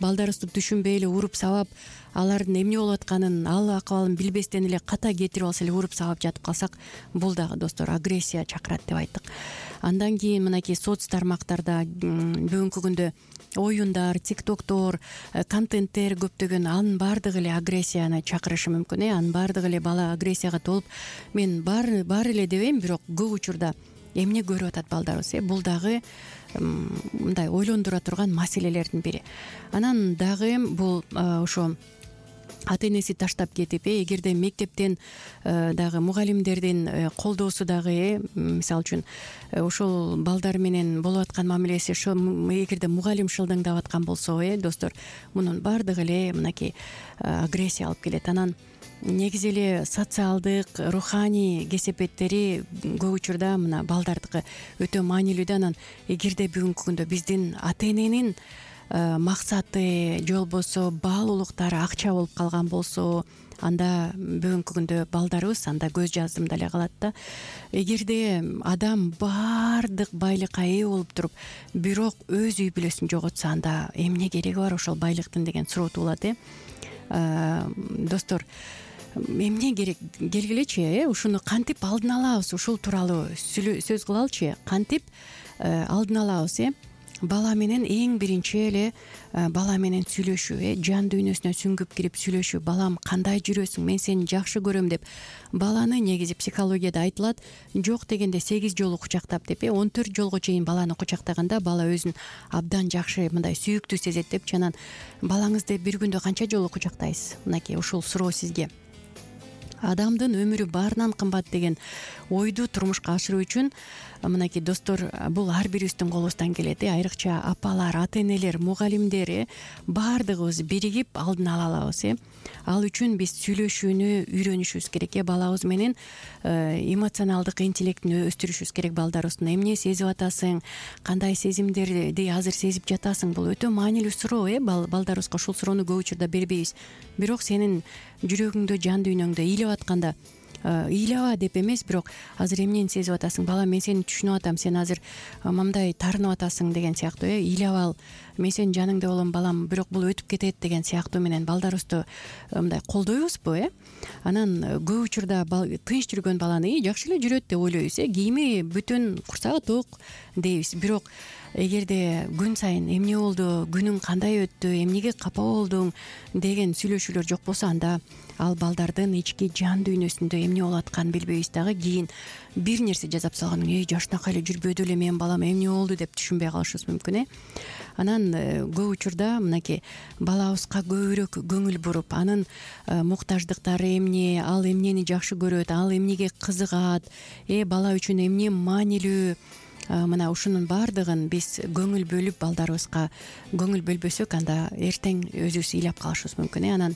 балдарыбызды түшүнбөй эле уруп сабап, алардын эмне болуп атканын, ал акыбалын билбестен эле ката кетирип алса эле уруп сабап жатып калсак, бул дагы, достор, агрессия чакырат деп айттык. Андан кийин мынакей соц тармактарда бүгүнкү күндө оюндар, тиктоктор, контенттер көптөгөн, анын баардыгы эле агрессияны чакырышы мүмкүн. Анын баардыгы эле бала агрессияга толуп, мен бар эле дебейм, бирок көп учурда эмне көрүп атат балдарыбыз? Бул дагы мындай ойлондура турган маселелердин бири. Анан дагы бул ошо ата энеси таштап кетип, эгерде мектептен дагы мугалимдердин колдоосу дагы, мисалы үчүн ошол балдар менен болуп аткан мамилеси, эгерде мугалим шылдыңдап аткан болсо, достор, мунун баардыгы эле мынакей агрессия алып келет. Анан негизи эле социалдык, руханий кесепеттери көп учурда мына балдардыкы өтө маанилүү. Анан эгерде бүгүнкү күндө биздин ата эненин максаты же болбосо баалуулуктары акча болуп калган болсо, анда бүгүнкү күндө балдарыбыз анда көз жаздым деле калат да. Эгерде адам баардык байлыкка ээ болуп туруп, бирок өз үй бүлөсүн жоготсо, анда эмне кереги бар ошол байлыктын деген суроо туулат. Достор, эмне керек, келгилечи, ушуну кантип алдын алабыз, ушул тууралуу сөз кылалычы. Кантип алдын алабыз? Бала менен эң биринчи эле бала менен сүйлөшүү, жан дүйнөсүнө сүңгүп кирип сүйлөшүү. Балам, кандай жүрөсүң? Мен сени жакшы көрөм деп баланы, негизи психологияда айтылат, жок дегенде 8 жолу кучактап деп, 14 жолго чейин баланы кучактаганда бала өзүн абдан жакшы, мындай сүйүктүү сезет деп. Жанан балаңызды бир күндө канча жолу кучактайсыз? Мынакей ушул суроо сизге. Адамдын өмүрү баарынан кымбат деген ойду турмушка ашыруу үчүн мынакей достор, бул ар бирибиздин колубуздан келет. Айрыкча апалар, ата-энелер, мугалимдер, баардыгыбыз биригип алдын ала алабыз. Ал үчүн биз сүйлөшүүнү үйрөнүшүбүз керек. Балабыз менен эмоционалдык интеллектин өстүрүшүбүз керек. Балдарыбыздын эмне сезип атасың, кандай сезимдерди азыр сезип жатасың, бул өтө маанилүү суроо. Балдарыбызга ушул суроону көп учурда бербейбиз. Бирок сенин жүрөгүңдө, жан дүйнөңдө ыйлап атканда, ыйлаба деп эмес, бирок азыр эмнени сезип атасың, балам, мен сени түшүнүп атам, сен азыр мындай таарынып атасың деген сыяктуу, ыйлап ал, мен сенин жаныңда болом балам, бирок бул өтүп кетет деген сыяктуу менен балдарыбызды мындай колдойбузбу? Анан көп учурда тынч жүргөн баланы жакшы эле жүрөт деп ойлойбуз, кийими бүтүн, курсагы ток дейбиз. Бирок эгерде күн сайын эмне болду, күнүң кандай өттү, эмнеге капа болдуң деген сүйлөшүүлөр жок болсо, анда ал балдардын ички жан дүйнөсүндө эмне болуп атканын билбейбиз дагы. Кийин бир нерсе жасап салган, жашынакай эле жүрбөдү эле менин балам, эмне болду деп түшүнбөй калышыбыз мүмкүн. Анан көп учурда мынакей балабызга көбүрөөк көңүл буруп, анын муктаждыктары эмне, ал эмнени жакшы көрөт, ал эмнеге кызыгат, бала үчүн эмне маанилүү, мына ушунун баардыгын биз көңүл бөлүп, балдарыбызга көңүл бөлбөсөк, анда эртең өзүбүз ыйлап калышыбыз мүмкүн. Анан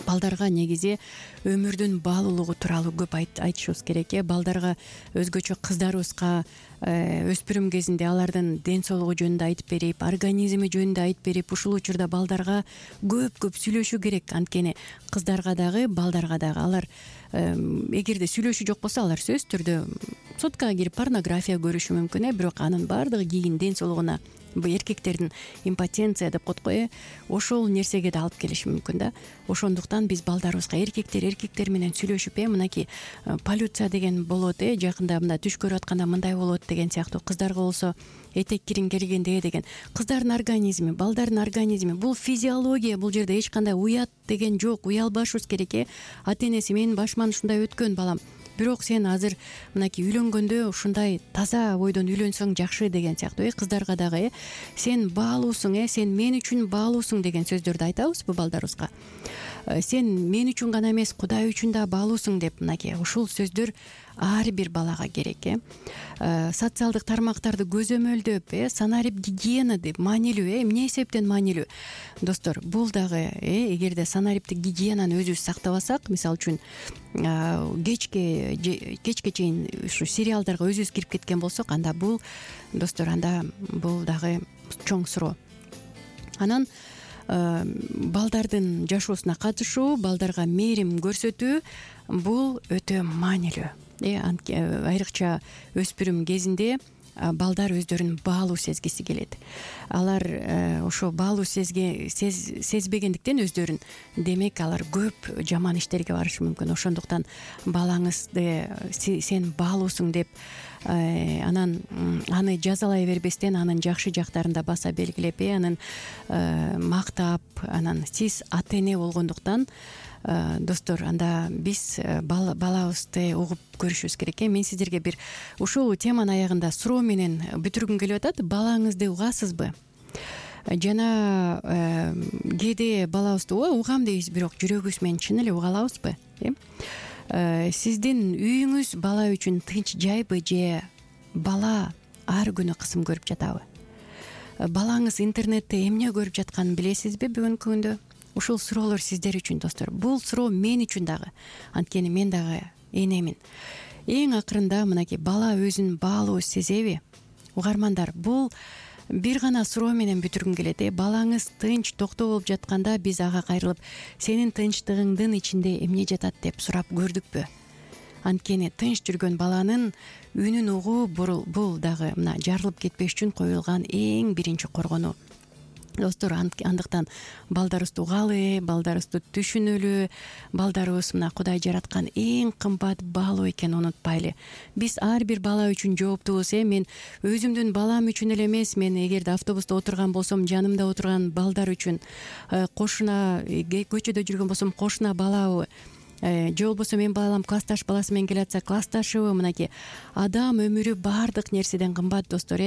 балдарга негизи өмүрдүн баалуулугу тууралуу көп айтышыбыз керек. Балдарга, өзгөчө кыздарыбызга өспүрүм кезинде алардын ден соолугу жөнүндө айтып берип, организми жөнүндө айтып берип, ушул учурда балдарга көп сүйлөшүү керек. Анткени кыздарга дагы, балдарга дагы. Алар эгерде сүйлөшүү жок болсо, алар сөзсүз түрдө соткага кирип порнография көрүшү мүмкүн. Бирок анын баардыгы кийин ден соолугуна, эркектердин импотенция деп коет го, ошол нерсеге да алып келиши мүмкүн да. Ошондуктан биз балдарыбызга эркектер менен сүйлөшүп, мынакей полюция деген болот, жакында мында түш көрүп атканда мындай болот деген сыяктуу. Кыздарга болсо этек кириң келгенде деген. Кыздардын организми, балдардын организми, бул физиология, бул жерде эч кандай уят деген жок. Уялбашыбыз керек. Ата-энеси менин башыман ушундай өткөн балам, бирок сен азыр мынакей үйлөнгөндө ушундай таза бойдон үйлөнсөң жакшы деген сыяктуу. Кыздарга дагы сен баалуусуң, сен мен үчүн баалуусуң деген сөздөрдү айтабызбы балдарыбызга? Сен мен үчүн гана эмес, Кудай үчүн да баалуусуң деп, мынакей ушул сөздөр ар бир балага керек. Социалдык тармактарды көзөмөлдөп, санарип гигиена деп маанилүү. Эмне эсептен маанилүү? Достор, бул дагы эгерде санариптик гигиенаны өзүбүз сактабасак, мисалы үчүн кечке чейин ушу сериалдарга өзүбүз кирип кеткен болсок, анда бул, достор, анда бул дагы чоң суроо. Анан балдардын жашоосуна катышуу, балдарга мээрим көрсөтүү, бул өтө маанилүү. Айрыкча өспүрүм кезинде балдар өздөрүн баалуу сезгиси келет. Алар ошо баалуу сезбегендиктен өздөрүн, демек алар көп жаман иштерге барышы мүмкүн. Ошондуктан балаңызды сен баалуусуң деп, анан аны жазалай бербестен, анын жакшы жактарын да баса белгилеп, анын мактап, анан сиз ата-эне болгондуктан, достор, анда биз балабызды угуп көрүшүбүз керек. Мен сиздерге бир ушул теманын аягында суроо менен бүтүргүм келип атат. Балаңызды угасызбы? Жана кээде балабызды угам дейбиз, бирок жүрөгүбүз менен чын эле уга алабызбы? Сиздин үйүңүз бала үчүн тынч жайбы, же бала ар күнү кысым көрүп жатабы? Балаңыз интернетте эмне көрүп жатканын билесизби бүгүнкү күндө? Ушул суроолор сиздер үчүн, достор. Бул суроо мен үчүн дагы. Анткени мен дагы энемин. Эң акырында мынакей бала өзүн баалуу сезеби? Угармандар, бул бир гана суроо менен бүтүргүм келет. Балаңыз тынч токтоо болуп жатканда биз ага кайрылып, сенин тынчтыгыңдын ичинде эмне жатат деп сурап көрдүкпү? Анткени тынч жүргөн баланын үнүн угуу бул дагы мына жарылып кетпеш үчүн коюлган эң биринчи коргонуу. Достор, андыктан балдарыбызды угалы, балдарыбызды түшүнөлү. Балдарыбыз мына Кудай жараткан эң кымбат баалоо экенин унутпайлы. Биз ар бир бала үчүн жооптубуз. Мен өзүмдүн балам үчүн эле эмес, мен эгерде автобуста отурган болсом, жанымда отурган балдар үчүн, кошуна көчөдө жүргөн болсом, кошуна балабы, же болбосо менин балам классташ баласы менен келатса, классташыбы, мынакей адам өмүрү баардык нерседен кымбат, достор.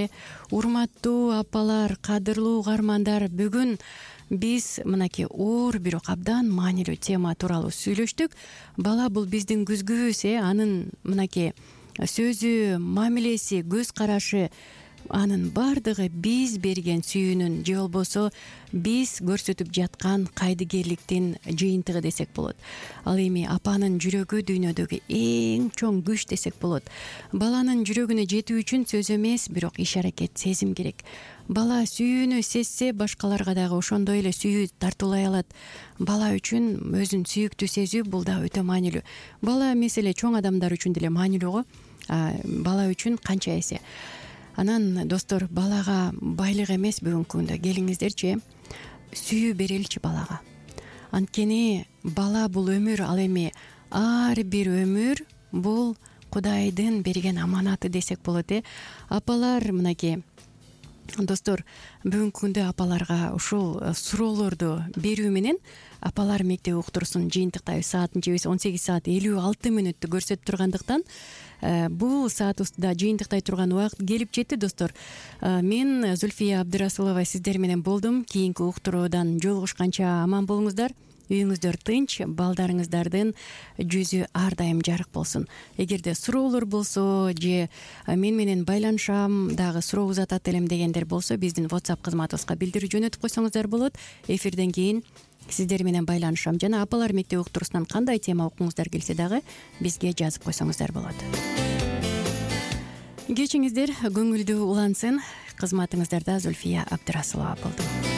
Урматтуу апалар, кадырлуу угармандар, бүгүн биз мынакей оор бирок абдан маанилүү тема тууралуу сүйлөштүк. Бала бул биздин күзгүбүз. Анын мынакей сөзү, мамилеси, көз карашы, анын баардыгы биз берген сүйүүнүн же болбосо биз көрсөтүп жаткан кайдыгерликтин жыйынтыгы десек болот. Ал эми апанын жүрөгү дүйнөдөгү эң чоң күч десек болот. Баланын жүрөгүнө жетүү үчүн сөз эмес, бирок иш аракет, сезим керек. Бала сүйүүнү сезсе, башкаларга дагы ошондой эле сүйүү тартуулай алат. Бала үчүн өзүн сүйүктүү сезүү бул да өтө маанилүү. Бала эмес эле чоң адамдар үчүн деле маанилүү го. Бала үчүн канча эсе. Анан достор, балага байлык эмес бүгүнкү күндө. Келиңиздерчи, сүйүү береличи балага. Анткени бала бул өмүр, ал эми ар бир өмүр бул Кудайдын берген аманаты десек болот. Апалар, мынакей достор, бүгүнкү күндө апаларга ушул суроолорду берүү менен апалар мектеп уктурусун жыйынтыктайбыз. Саатынчыбыз 18 саат 56 мүнөттү көрсөтүп тургандыктан бул саатыбызда жыйынтыктай турган убакыт келип жетти, достор. Мен Зульфия Абдрасулова сиздер менен болдум. Кийинки уктуруудан жолугушканча аман болуңуздар. Үйүңүздөр тынч, балдарыңыздардын жүзү ар дайым жарык болсун. Эгерде суроолор болсо же мен менен байланышам, дагы суроо узатат элем дегендер болсо, биздин WhatsApp кызматыбызга билдирүү жөнөтүп койсоңуздар болот. Эфирден кийин сиздер менен байланышам. Жана апалар мектеп уктурусунан кандай тема окуңуздар келсе дагы бизге жазып койсоңуздар болот. Кечиңиздер көңүлдүү улансын. Кызматыңыздарда Зульфия Абдрасулова болду.